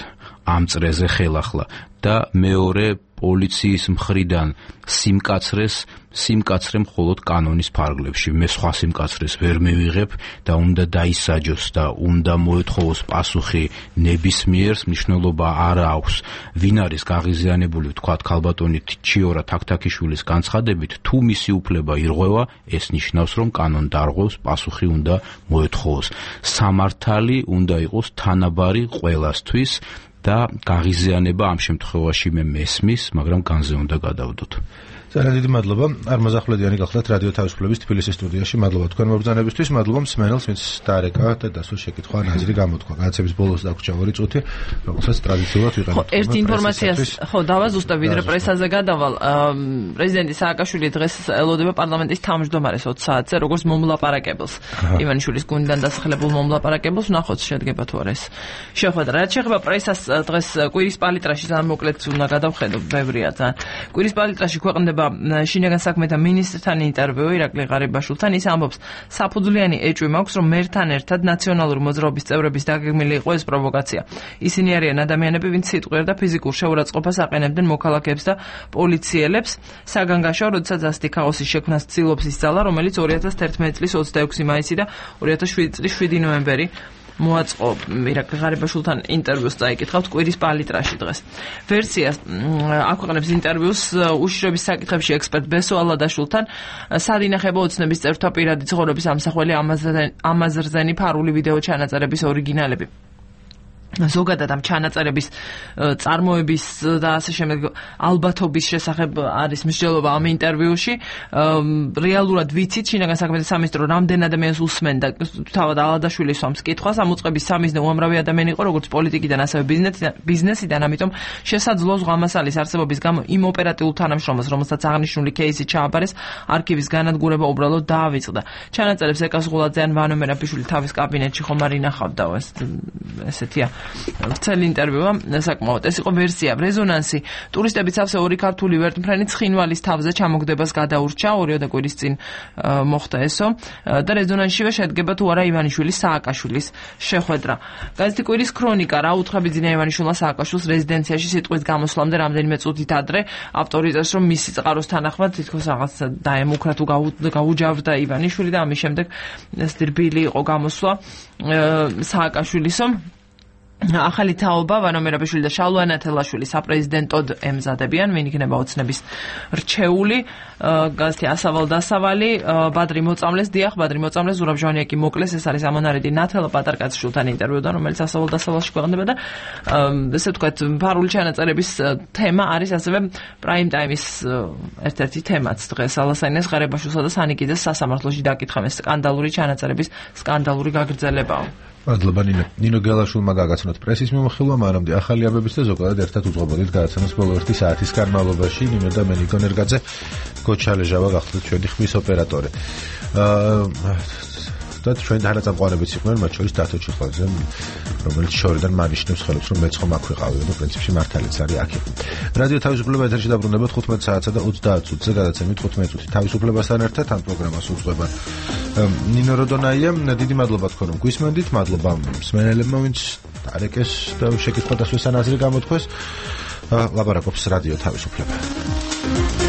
ამ წრეზე ხელახლა. და მეორე პოლიციის მხრიდან სიმკაცრეს სიმკაცრე მხოლოდ კანონის ფარგლებში. მე სხვა სიმკაცრეს ვერ მივიღებ და უნდა დაისაჯოს და უნდა მოეთხოვოს პასუხი ნებისმიერს. მნიშვნელობა არ აქვს ვინ არის გაღიზიანებული, ვთქვათ ქალბატონი ჩიორა თაქთაქიშვილის განცხადებით, თუ მისი უფლება ირღვევა, ეს ნიშნავს რომ კანონ დარღვევს, პასუხი უნდა მოეთხოვოს. სამართალი უნდა იყოს თანაბარი ყველასთვის და გაღიზიანება ამ შემთხვევაში მე მესმის, მაგრამ განზე უნდა გადავდოთ. ძალიან დიდი მადლობა. არმაზ ახვლედიანი გახლდათ რადიო თავისუფლების თბილისის სტუდიაში. მადლობა თქვენ მობრძანებისთვის, მადლობა მსმენელს, ვინც დაარეკა და დასულ შეკითხვა ნაზრი გამოთქვა. განაცემის ბოლოს დაგვრჩა ორი წუთი, რომელსაც ტრადიციულად ვიყენებთ. ხო, ერთ ინფორმაციას ხო დავაზუსტებ, ვიდრე პრესაზე გადავალ. პრეზიდენტი სააკაშვილი დღეს ელოდება პარლამენტის თავმჯდომარეს ოც საათზე, როგორც მომლაპარაკებელს. ივანიშვილის გუნდიდან დასახელებულ მომლაპარაკებელს ვნახოთ შედგება თუ არა ეს შეხვედრა. რაც შეეხება პრესას, დღეს კვირის პალიტრაში ძალიან მოკლედ უნდა გადავხედო, ბევრია ძალიან. კვირის პალიტრაში ქვეყნდება შინაგან საქმეთა მინისტრთან ინტერვიუ ირაკლი ღარიბაშვილთან. ის ამბობს, საფუძვლიანი ეჭვი მაქვს, რომ მერთან ერთად ნაციონალური მოძრაობის წევრების დაგეგმილი იყო ეს პროვოკაცია. ისინი არიან ადამიანები, ვინც სიტყვიერ და ფიზიკურ შეურაცხყოფას აყენებდნენ მოქალაქეებს და პოლიციელებს. საგანგაშო, როდესაც ასეთი ქაოსის შექმნას ცდილობს ის ძალა, რომელიც ორი ათას თერთმეტი წლის ოცდაექვსი მაისი და ორი ათას შვიდი წლის შვიდი ნოემბერი მოაწყო. ირაკლი ღარიბაშვილთან ინტერვიუს წაიკითხავთ კვირის პალიტრაში დღეს. ვერსიას აქვეყნებს ინტერვიუს უშიშროების საკითხებში ექსპერტ ბესო ალადაშვილთან. სად ინახება ოცნების წევრთა პირადი ცხოვრების ამსახველი ამაზრზენი ფარული ვიდეო ჩანაწერების ორიგინალები. ზოგადად ამ ჩანაწერების წარმოების და ასე შემდეგ ალბათობის შესახებ არის მსჯელობა ამ ინტერვიუში. რეალურად ვიცით შინაგან საქმეთა სამინისტრო რამდენ ადამიანს უსმენდა თავად ალადაშვილის სვამს კითხვას. ამ უწყების სამიზნე უამრავი ადამიანი იყო, როგორც პოლიტიკიდან, ასევე ბიზნესიდან, ამიტომ შესაძლოა ზღვამასალის არსებობის გამო იმ ოპერატიულ თანამშრომელს, რომელსაც აღნიშნული кейსი ჩააბარეს, არქივის განადგურება უბრალოდ დაავიწყდა. ჩანაწერებს ეკას ღულაძე ან ვანო მერაბიშვილი თავის კაბინეტში ხომ არ ინახავდა, ეს ესეთია. ვრცელი ინტერვიუა საკმაოდ. ეს იყო ვერსია. რეზონანსი. ტურისტების სავსე ორი ქართული ვერტმფრენი ცხინვალის თავზე ჩამოგდებას გადაურჩა, ორიოდე კვირის წინ მოხდა ესო და რეზონანსშივე შედგება თუ არა ივანიშვილის სააკაშვილის შეხვედრა. გაზეთი კვირის ქრონიკა. რა უთხრა ბიძინა ივანიშვილმა სააკაშვილს რეზიდენციაში სიტყვის გამოსვლამდე რამდენიმე წუთით ადრე. ავტორი წერს, რომ მისი წყაროს თანახმად თითქოს რაღაც დაემუქრა თუ გაუჯავდა ივანიშვილი და ამის შემდეგ ეს დირბილი იყო გამოსვლა სააკაშვილისო. ახალი თაობა ვანო მერაბიშვილი და შალვა ანათელაშვილი საპრეზიდენტოდ ემზადებიან, ვინ იქნება ოცნების რჩეული, გაზეთი ასავალ დასავალი, ბადრი მოწამლეს, დიახ, ბადრი მოწამლეს, ზურაბ ჟვანიაკი მოკლეს, ეს არის ამონარიდი ნათელა პატარკაცშვილთან ინტერვიუდან, რომელიც ასავალ დასავალში ქვეყნდება და ესე ვთქვათ, ფარული ჩანაწერების თემა არის ასევე პრაიმ ტაიმის ერთ-ერთი თემაც დღეს ალასაინეს ღარებაშვილსა და სანიკიძეს სასამართლოში დაკითხა ეს სკანდალური ჩანაწერების სკანდალური გაგრძელებაა. მადლობა ნინო. ნინო გელაშვილმა გაგაცნოთ პრესის მიმოხილვა, მანამდე ახალი აბების და ზოგადად ერთად უძღვებოდით გადაცემას ბოლო ერთი საათის განმავლობაში. ნინო და მე ნიკო ნერგაძე, გოჩა ლეჟავა გახლდათ ჩვენი ხმის ოპერატორი. აა და ჩვენ თანაწამყვანებიც იყვნენ, მათ შორის დათო ჩიხლაძე, რომელიც შორიდან მანიშნებს ხელებს, რომ მეც ხომ აქ ვიყავი და პრინციპში მართალიც არის აქ. რადიო თავისუფლება ეთერში დაბრუნებათ ხუთმეტ საათსა და ოცდაათ წუთზე გადაცემით თხუთმეტ წუთი თავისუფლებასთან ერთად ამ პროგრამას უძღვება ნინო როდონაია. დიდი მადლობა თქვენ რომ გვისმენდით, მადლობა მსმენელებმა, ვინც დარეკეს და შეკითხვა დასვეს ან აზრი გამოთქვეს. ლაპარაკობს რადიო თავისუფლება.